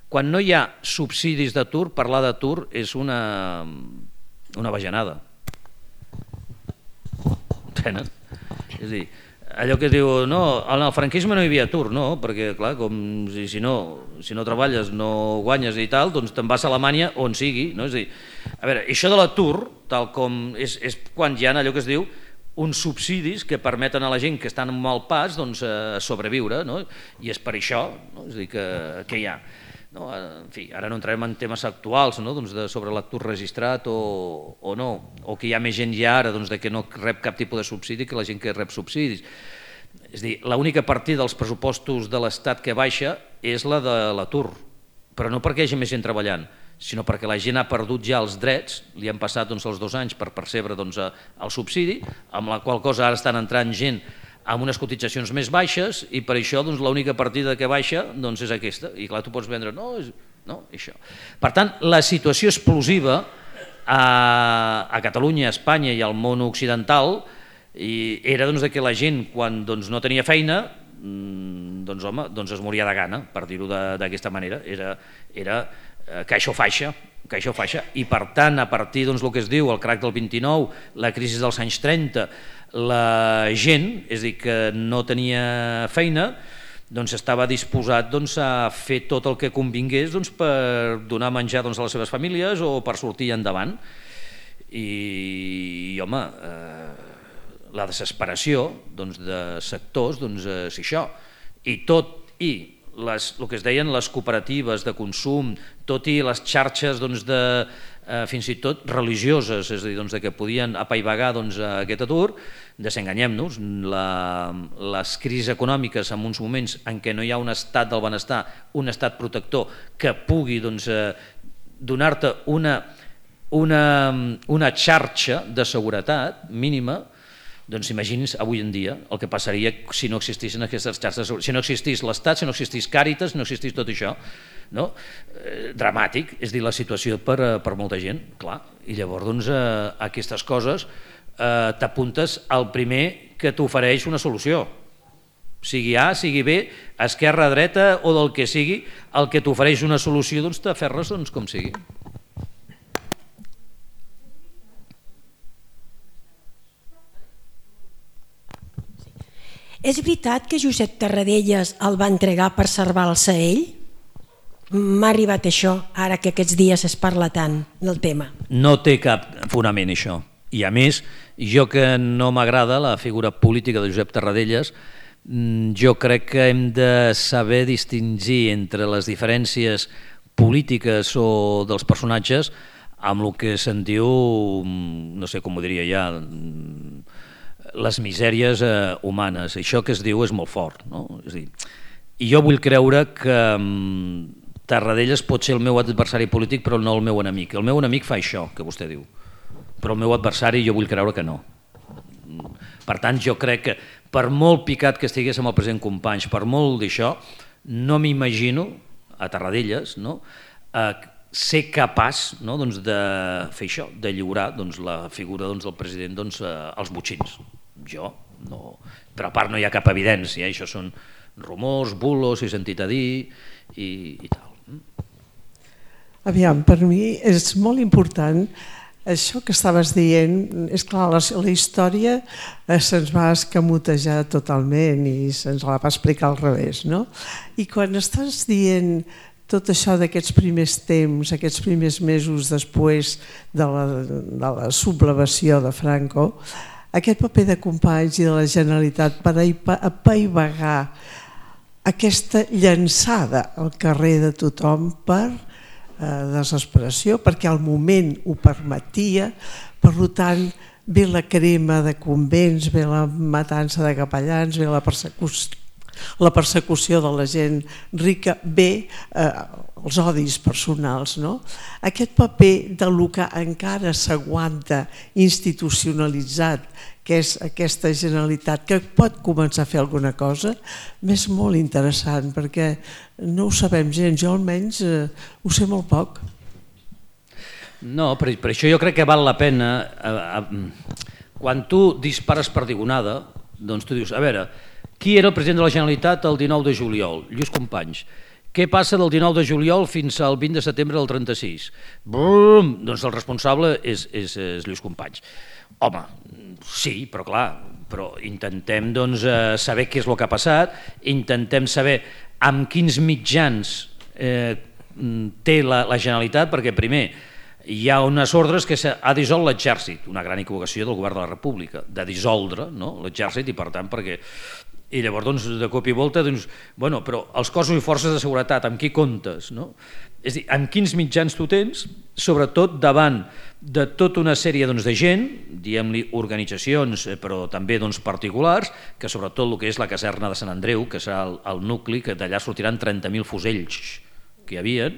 quan no hi ha subsidis d'atur, parlar d'atur és una bajanada. Entenen? És a dir, allò que es diu, no, en el franquisme no hi havia atur, no, perquè clar, com si no treballes, no guanyes i tal, doncs te'n vas a Alemanya on sigui, no? És a dir, a veure, això de l'atur, tal com és quan hi ha allò que es diu uns subsidis que permeten a la gent que estan en mal pas sobreviure, no? I és per això, no? És a dir, que hi ha. En fi, ara no entrarem en temes actuals sobre l'atur registrat o no, o que hi ha més gent ja ara que no rep cap tipus de subsidi que la gent que rep subsidis. És a dir, l'única partida dels pressupostos de l'Estat que baixa és la de l'atur, però no perquè hi hagi més gent treballant, sinó perquè la gent ha perdut ja els drets, li han passat els 2 anys per percebre el subsidi, amb la qual cosa ara estan entrant gent amb unes cotitzacions més baixes i per això l'única partida que baixa és aquesta. I clar, tu pots vendre, no, això. Per tant, la situació explosiva a Catalunya, a Espanya i al món occidental era que la gent, quan no tenia feina, es moria de gana, per dir-ho d'aquesta manera. Era caixa o faixa, i per tant, a partir del que es diu el crac del 29, la crisi dels anys 30, la gent, és a dir, que no tenia feina, estava disposat a fer tot el que convingués per donar menjar a les seves famílies o per sortir endavant. I, home, la desesperació de sectors és això. I tot i el que es deien les cooperatives de consum, tot i les xarxes fins i tot religioses, és a dir, que podien apaivagar aquest atur, desenganyem-nos, les crisis econòmiques en uns moments en què no hi ha un estat del benestar, un estat protector que pugui donar-te una xarxa de seguretat mínima, doncs imagini's avui en dia el que passaria si no existissin aquestes xarxes, si no existís l'Estat, si no existís Càritas, si no existís tot això. Dramàtic, és dir, la situació per molta gent, clar. I llavors aquestes coses t'apuntes al primer que t'ofereix una solució. Sigui A, sigui B, esquerra, dreta o del que sigui, el que t'ofereix una solució t'aferres com sigui. És veritat que Josep Tarradellas el va entregar per salvar-se ell? M'ha arribat això, ara que aquests dies es parla tant del tema. No té cap fonament això. I a més, jo que no m'agrada la figura política de Josep Tarradellas, jo crec que hem de saber distingir entre les diferències polítiques o dels personatges amb el que se'n diu, no sé com ho diria ja, les misèries humanes. Això que es diu és molt fort, no? És a dir, i jo vull creure que Tarradellas pot ser el meu adversari polític però no el meu enemic. El meu enemic fa això que vostè diu, però el meu adversari jo vull creure que no. Per tant, jo crec que per molt picat que estigués amb el president Companys, per molt d'això, no m'imagino a Tarradellas ser capaç de fer això, de lliurar la figura del president als botxins. Jo no, però a part no hi ha cap evidència, això són rumors, bulos, he sentit a dir i tal. Aviam, per mi és molt important això que estaves dient, és clar, la història se'ns va escamotejar totalment i se'ns la va explicar al revés, no? I quan estàs dient tot això d'aquests primers temps, aquests primers mesos després de la sublevació de Franco, aquest paper de Companys i de la Generalitat per apaivagar aquesta llançada al carrer de tothom per desesperació, perquè al moment ho permetia, per tant ve la crema de convents, ve la matança de capellans, ve la persecució de la gent rica, ve els odis personals. Aquest paper del que encara s'aguanta institucionalitzat, que és aquesta Generalitat que pot començar a fer alguna cosa, és molt interessant perquè no ho sabem gens, jo almenys ho sé molt poc. No, per això jo crec que val la pena, quan tu dispares perdigonada, doncs tu dius, a veure, qui era el president de la Generalitat el 19 de juliol? Lluís Companys. Què passa del 19 de juliol fins al 20 de setembre del 36? Bum! Doncs el responsable és Lluís Companys. Home, sí, però clar, intentem saber què és el que ha passat, intentem saber amb quins mitjans té la Generalitat, perquè primer hi ha unes ordres que ha dissolt l'exèrcit, una gran equivocació del govern de la República, de dissoldre l'exèrcit i per tant perquè... I llavors, de cop i volta, bueno, però els cossos i forces de seguretat, amb qui comptes? És a dir, amb quins mitjans tu tens, sobretot davant de tota una sèrie de gent, diguem-li organitzacions, però també particulars, que sobretot el que és la caserna de Sant Andreu, que serà el nucli, que d'allà sortiran 30.000 fusells que hi havia,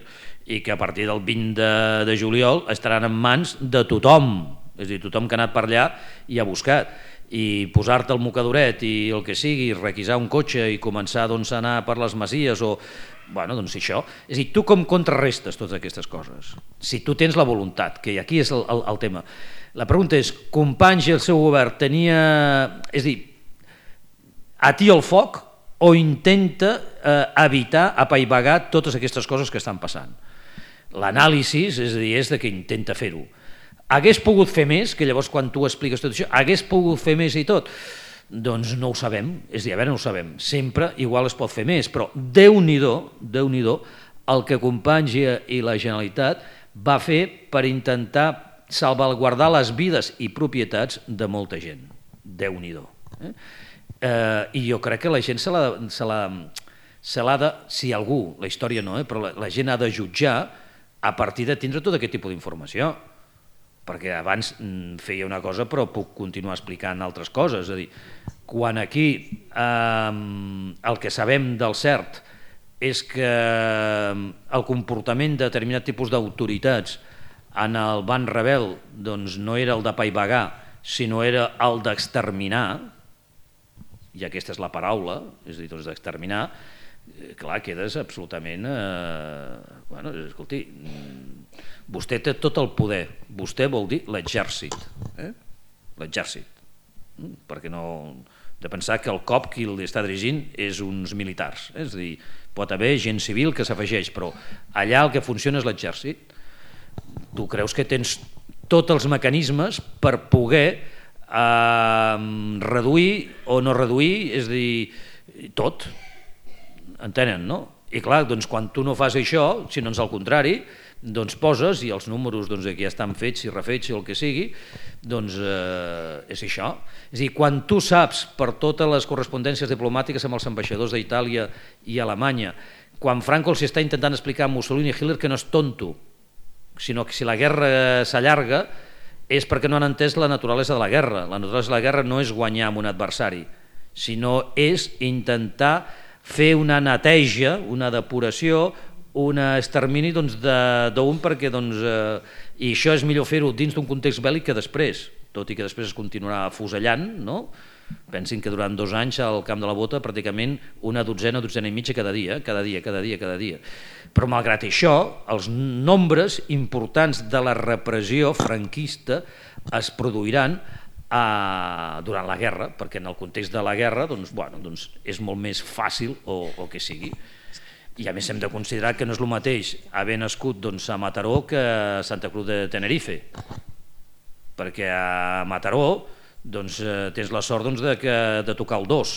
i que a partir del 20 de juliol estaran en mans de tothom, és a dir, tothom que ha anat per allà i ha buscat. I posar-te el mocadoret i el que sigui, requisar un cotxe i començar a anar per les masies o... Bueno, doncs això. És a dir, tu com contrarrestes totes aquestes coses? Si tu tens la voluntat, que aquí és el tema. La pregunta és, Companys i el seu govern tenia... És a dir, atia el foc o intenta evitar, apaivagar totes aquestes coses que estan passant? L'anàlisi, és a dir, és que intenta fer-ho. Hagués pogut fer més, que llavors quan tu expliques tot això, hagués pogut fer més i tot? Doncs no ho sabem, és a dir, a veure, no ho sabem. Sempre igual es pot fer més, però Déu-n'hi-do el que Companys i la Generalitat va fer per intentar salvaguardar les vides i propietats de molta gent. Déu-n'hi-do. I jo crec que la gent se l'ha de, si algú, la història no, però la gent ha de jutjar a partir de tindre tot aquest tipus d'informació. Perquè abans feia una cosa però puc continuar explicant altres coses. És a dir, quan aquí el que sabem del cert és que el comportament de determinat tipus d'autoritats en el ban rebel no era el d'apaivagar, sinó era el d'exterminar, i aquesta és la paraula, és a dir, d'exterminar, clar, quedes absolutament... Bueno, escolti... Vostè té tot el poder, vostè vol dir l'exèrcit, l'exèrcit, perquè no... de pensar que el cop qui l'està dirigint és uns militars, és a dir, pot haver gent civil que s'afegeix, però allà el que funciona és l'exèrcit. Tu creus que tens tots els mecanismes per poder reduir o no reduir, és a dir, tot, entenen, no? I clar, doncs quan tu no fas això, sinó al contrari, doncs poses, i els números que ja estan fets i refets i el que sigui, doncs és això. És a dir, quan tu saps per totes les correspondències diplomàtiques amb els ambaixadors d'Itàlia i Alemanya, quan Franco els està intentant explicar a Mussolini i Hitler que no és tonto, sinó que si la guerra s'allarga és perquè no han entès la naturalesa de la guerra. La naturalesa de la guerra no és guanyar amb un adversari, sinó és intentar fer una neteja, una depuració, un extermini d'un perquè i això és millor fer-ho dins d'un context bèl·lic que després, tot i que després es continuarà afusellant, no? Pensin que durant 2 anys al Camp de la Bota pràcticament una dotzena i mitja cada dia. Però malgrat això, els nombres importants de la repressió franquista es produiran durant la guerra, perquè en el context de la guerra és molt més fàcil o que sigui. I a més hem de considerar que no és el mateix haver nascut a Mataró que a Santa Cruz de Tenerife. perquè a Mataró tens la sort de tocar el 2,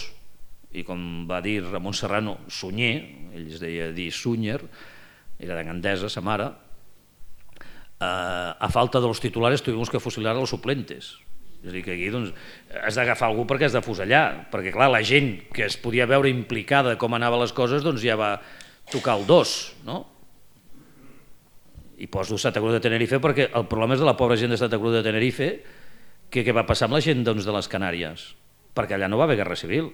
i com va dir Ramon Serrano, Sunyer, ell es deia dir Sunyer, era de Gandesa, sa mare, a falta de los titulares tuvimos que fusilar a los suplentes. És a dir, que aquí has d'agafar algú perquè has de fusellar, perquè clar, la gent que es podia veure implicada com anaven les coses ja va tocar el 2, no? I poso Santa Cruz de Tenerife perquè el problema és de la pobra gent de Santa Cruz de Tenerife, què va passar amb la gent de les Canàries? Perquè allà no va haver guerra civil.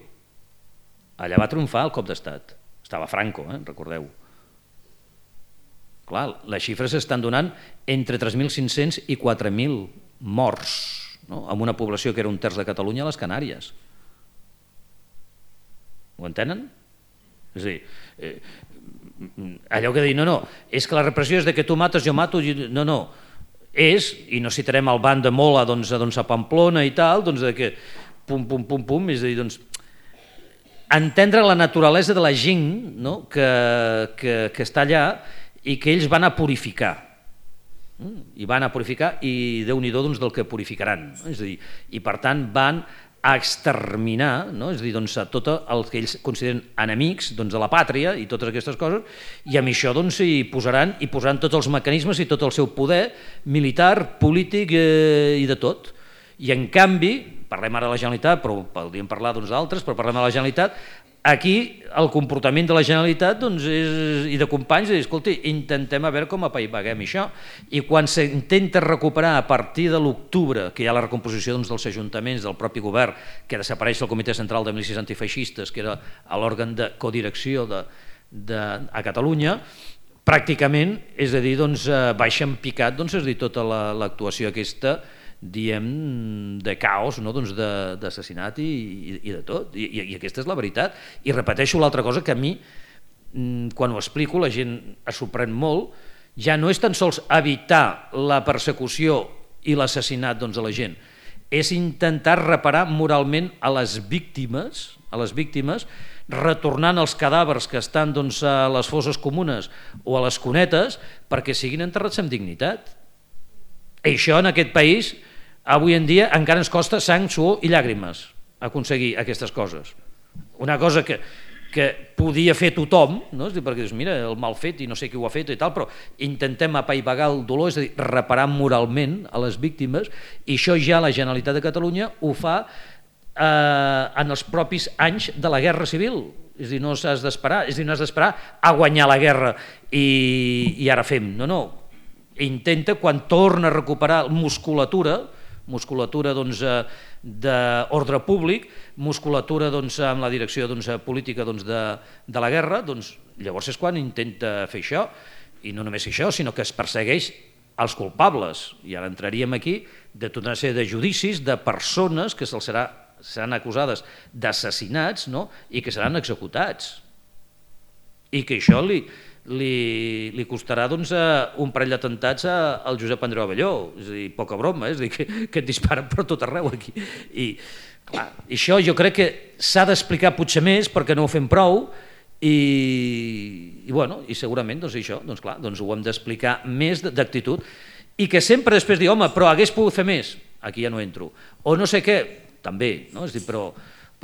Allà va triomfar el cop d'estat. Estava Franco, recordeu. Clar, les xifres s'estan donant entre 3.500 i 4.000 morts, amb una població que era un terç de Catalunya a les Canàries. Ho entenen? És a dir, allò que dir, no, és que la repressió és de que tu mates, jo mato, no, és, i no citarem el ban de Mola a Pamplona i tal, de que pum, és a dir, entendre la naturalesa de la gent que està allà i que ells van a purificar. I Déu-n'hi-do del que purificaran. És a dir, i per tant van a exterminar, és a dir, a tot el que ells consideren enemics de la pàtria i totes aquestes coses, i amb això hi posaran tots els mecanismes i tot el seu poder militar, polític i de tot. I en canvi, parlem ara de la Generalitat, però podríem parlar d'altres, però parlem de la Generalitat, aquí el comportament de la Generalitat i de companys és, escolta, intentem a veure com apaivaguem això. I quan s'intenta recuperar a partir de l'octubre, que hi ha la recomposició dels ajuntaments, del propi govern, que desapareix el Comitè Central de Milícies Antifeixistes, que era l'òrgan de codirecció a Catalunya, pràcticament, és a dir, baixa en picat tota l'actuació aquesta, diem, de caos, d'assassinat i de tot, i aquesta és la veritat. I repeteixo l'altra cosa que a mi, quan ho explico, la gent es sorprèn molt, ja no és tan sols evitar la persecució i l'assassinat de la gent, és intentar reparar moralment a les víctimes, retornant els cadàvers que estan a les fosses comunes o a les cunetes perquè siguin enterrats amb dignitat. I això en aquest país, avui en dia, encara ens costa sang, suor i llàgrimes aconseguir aquestes coses. Una cosa que podia fer tothom, perquè dius, mira, el mal fet i no sé qui ho ha fet i tal, però intentem apaivagar el dolor, és a dir, reparar moralment a les víctimes, i això ja la Generalitat de Catalunya ho fa en els propis anys de la Guerra Civil. És a dir, no has d'esperar a guanyar la guerra i ara fem. No. Intenta, quan torna a recuperar musculatura d'ordre públic, musculatura amb la direcció política de la guerra, llavors és quan intenta fer això, i no només això, sinó que es persegueix els culpables, i ara entraríem aquí de tota una sèrie de judicis de persones que seran acusades d'assassinats i que seran executats, i que això li costarà un parell d'atemptats al Josep Andreu Abelló, és a dir, poca broma, és a dir, que et disparen per tot arreu aquí. I això jo crec que s'ha d'explicar potser més perquè no ho fem prou, i segurament això, ho hem d'explicar més d'actitud, i que sempre després dir, home, però hagués pogut fer més, aquí ja no entro, o no sé què, també, però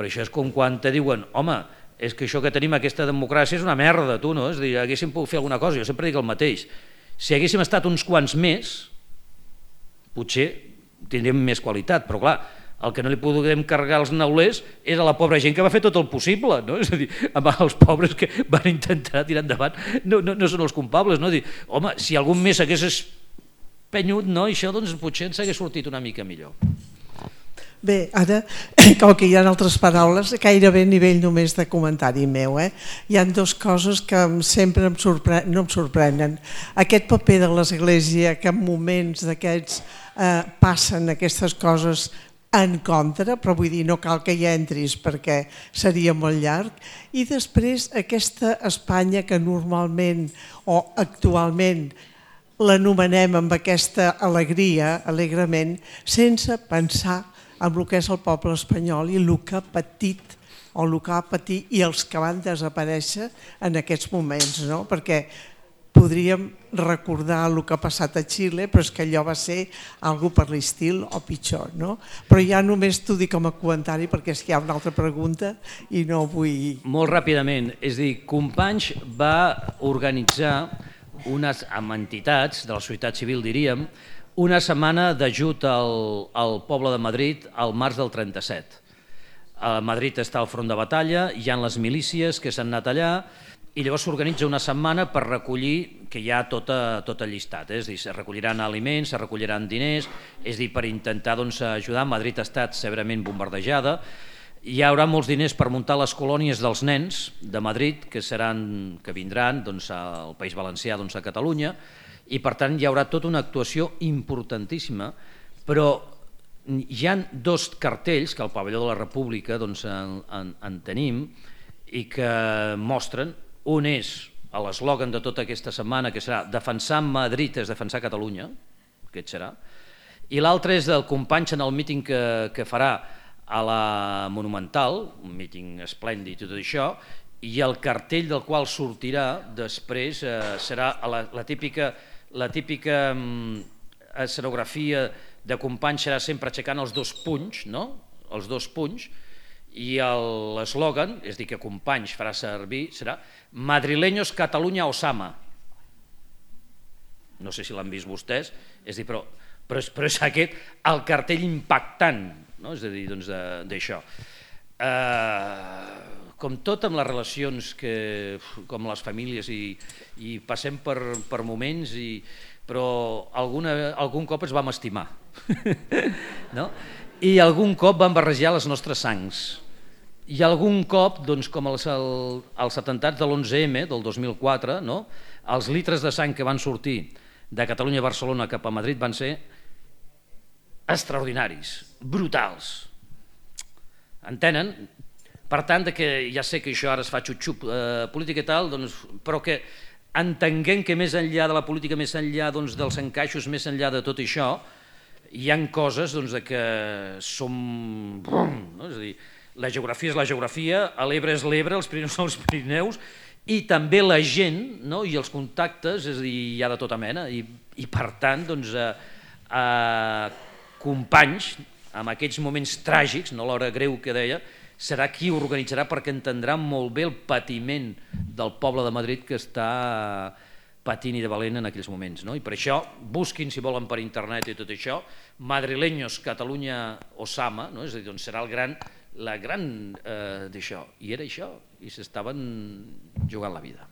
això és com quan te diuen, home, és que això que tenim, aquesta democràcia, és una merda, tu, no? És a dir, haguéssim pogut fer alguna cosa, jo sempre dic el mateix. Si haguéssim estat uns quants més, potser tindríem més qualitat, però clar, el que no li podem carregar els neulers és a la pobra gent que va fer tot el possible, no? És a dir, els pobres que van intentar tirar endavant no són els culpables, no? Dir, home, si algun més hagués espenyut, això potser ens hagués sortit una mica millor. Bé, ara, com que hi ha altres paraules, gairebé a nivell només de comentari meu, hi ha dues coses que sempre no em sorprenen. Aquest paper de l'Església, que en moments d'aquests passen aquestes coses en contra, però vull dir, no cal que hi entris perquè seria molt llarg, i després aquesta Espanya que normalment o actualment l'anomenem amb aquesta alegria, alegrement, sense pensar amb el que és el poble espanyol i el que ha patit o el que ha patit i els que van desaparèixer en aquests moments, perquè podríem recordar el que ha passat a Xile, però és que allò va ser algo per l'estil o pitjor, no? Però ja només t'ho dic com a comentari perquè és que hi ha una altra pregunta i no vull... Molt ràpidament, és a dir, Companys va organitzar amb entitats de la societat civil, diríem, una setmana d'ajut al poble de Madrid al març del 37. A Madrid està al front de batalla, hi ha les milícies que s'han anat allà, i llavors s'organitza una setmana per recollir, que hi ha tot llistat, és a dir, se recolliran aliments, se recolliran diners, és a dir, per intentar ajudar. Madrid ha estat severament bombardejada, hi haurà molts diners per muntar les colònies dels nens de Madrid, que vindran al País Valencià, a Catalunya, i per tant hi haurà tota una actuació importantíssima, però hi ha 2 cartells que al pavelló de la República en tenim i que mostren. Un és l'eslògan de tota aquesta setmana, que serà defensar Madrid és defensar Catalunya, aquest serà, i l'altre és del Companys en el míting que farà a la Monumental, un míting esplèndid i tot això, i el cartell del qual sortirà després serà la típica escenografia de Companys, serà sempre aixecant els 2 punys, no? Els 2 punys, i l'eslògan, és a dir, que Companys farà servir, serà Madrileños Catalunya Osama. No sé si l'han vist vostès, és a dir, però és aquest el cartell impactant, no? És a dir, d'això. Com tot amb les relacions, com les famílies, i passem per moments, però algun cop es vam estimar, no? I algun cop van barrejar les nostres sangs. I algun cop, com els atemptats de l'11M del 2004, els litres de sang que van sortir de Catalunya a Barcelona cap a Madrid van ser extraordinaris, brutals. Entenen? Per tant, ja sé que això ara es fa xup-xup política i tal, però que entenguem que més enllà de la política, més enllà dels encaixos, més enllà de tot això, hi ha coses que som... És a dir, la geografia és la geografia, l'Ebre és l'Ebre, els Pirineus són els Pirineus, i també la gent i els contactes, és a dir, hi ha de tota mena, i per tant, Companys, en aquests moments tràgics, no l'hora greu que deia, serà qui ho organitzarà perquè entendrà molt bé el patiment del poble de Madrid que està patint i de valent en aquells moments. I per això, busquin, si volen, per internet i tot això, Madrileños Catalunya Osama, és a dir, serà la gran d'això. I era això, i s'estaven jugant la vida.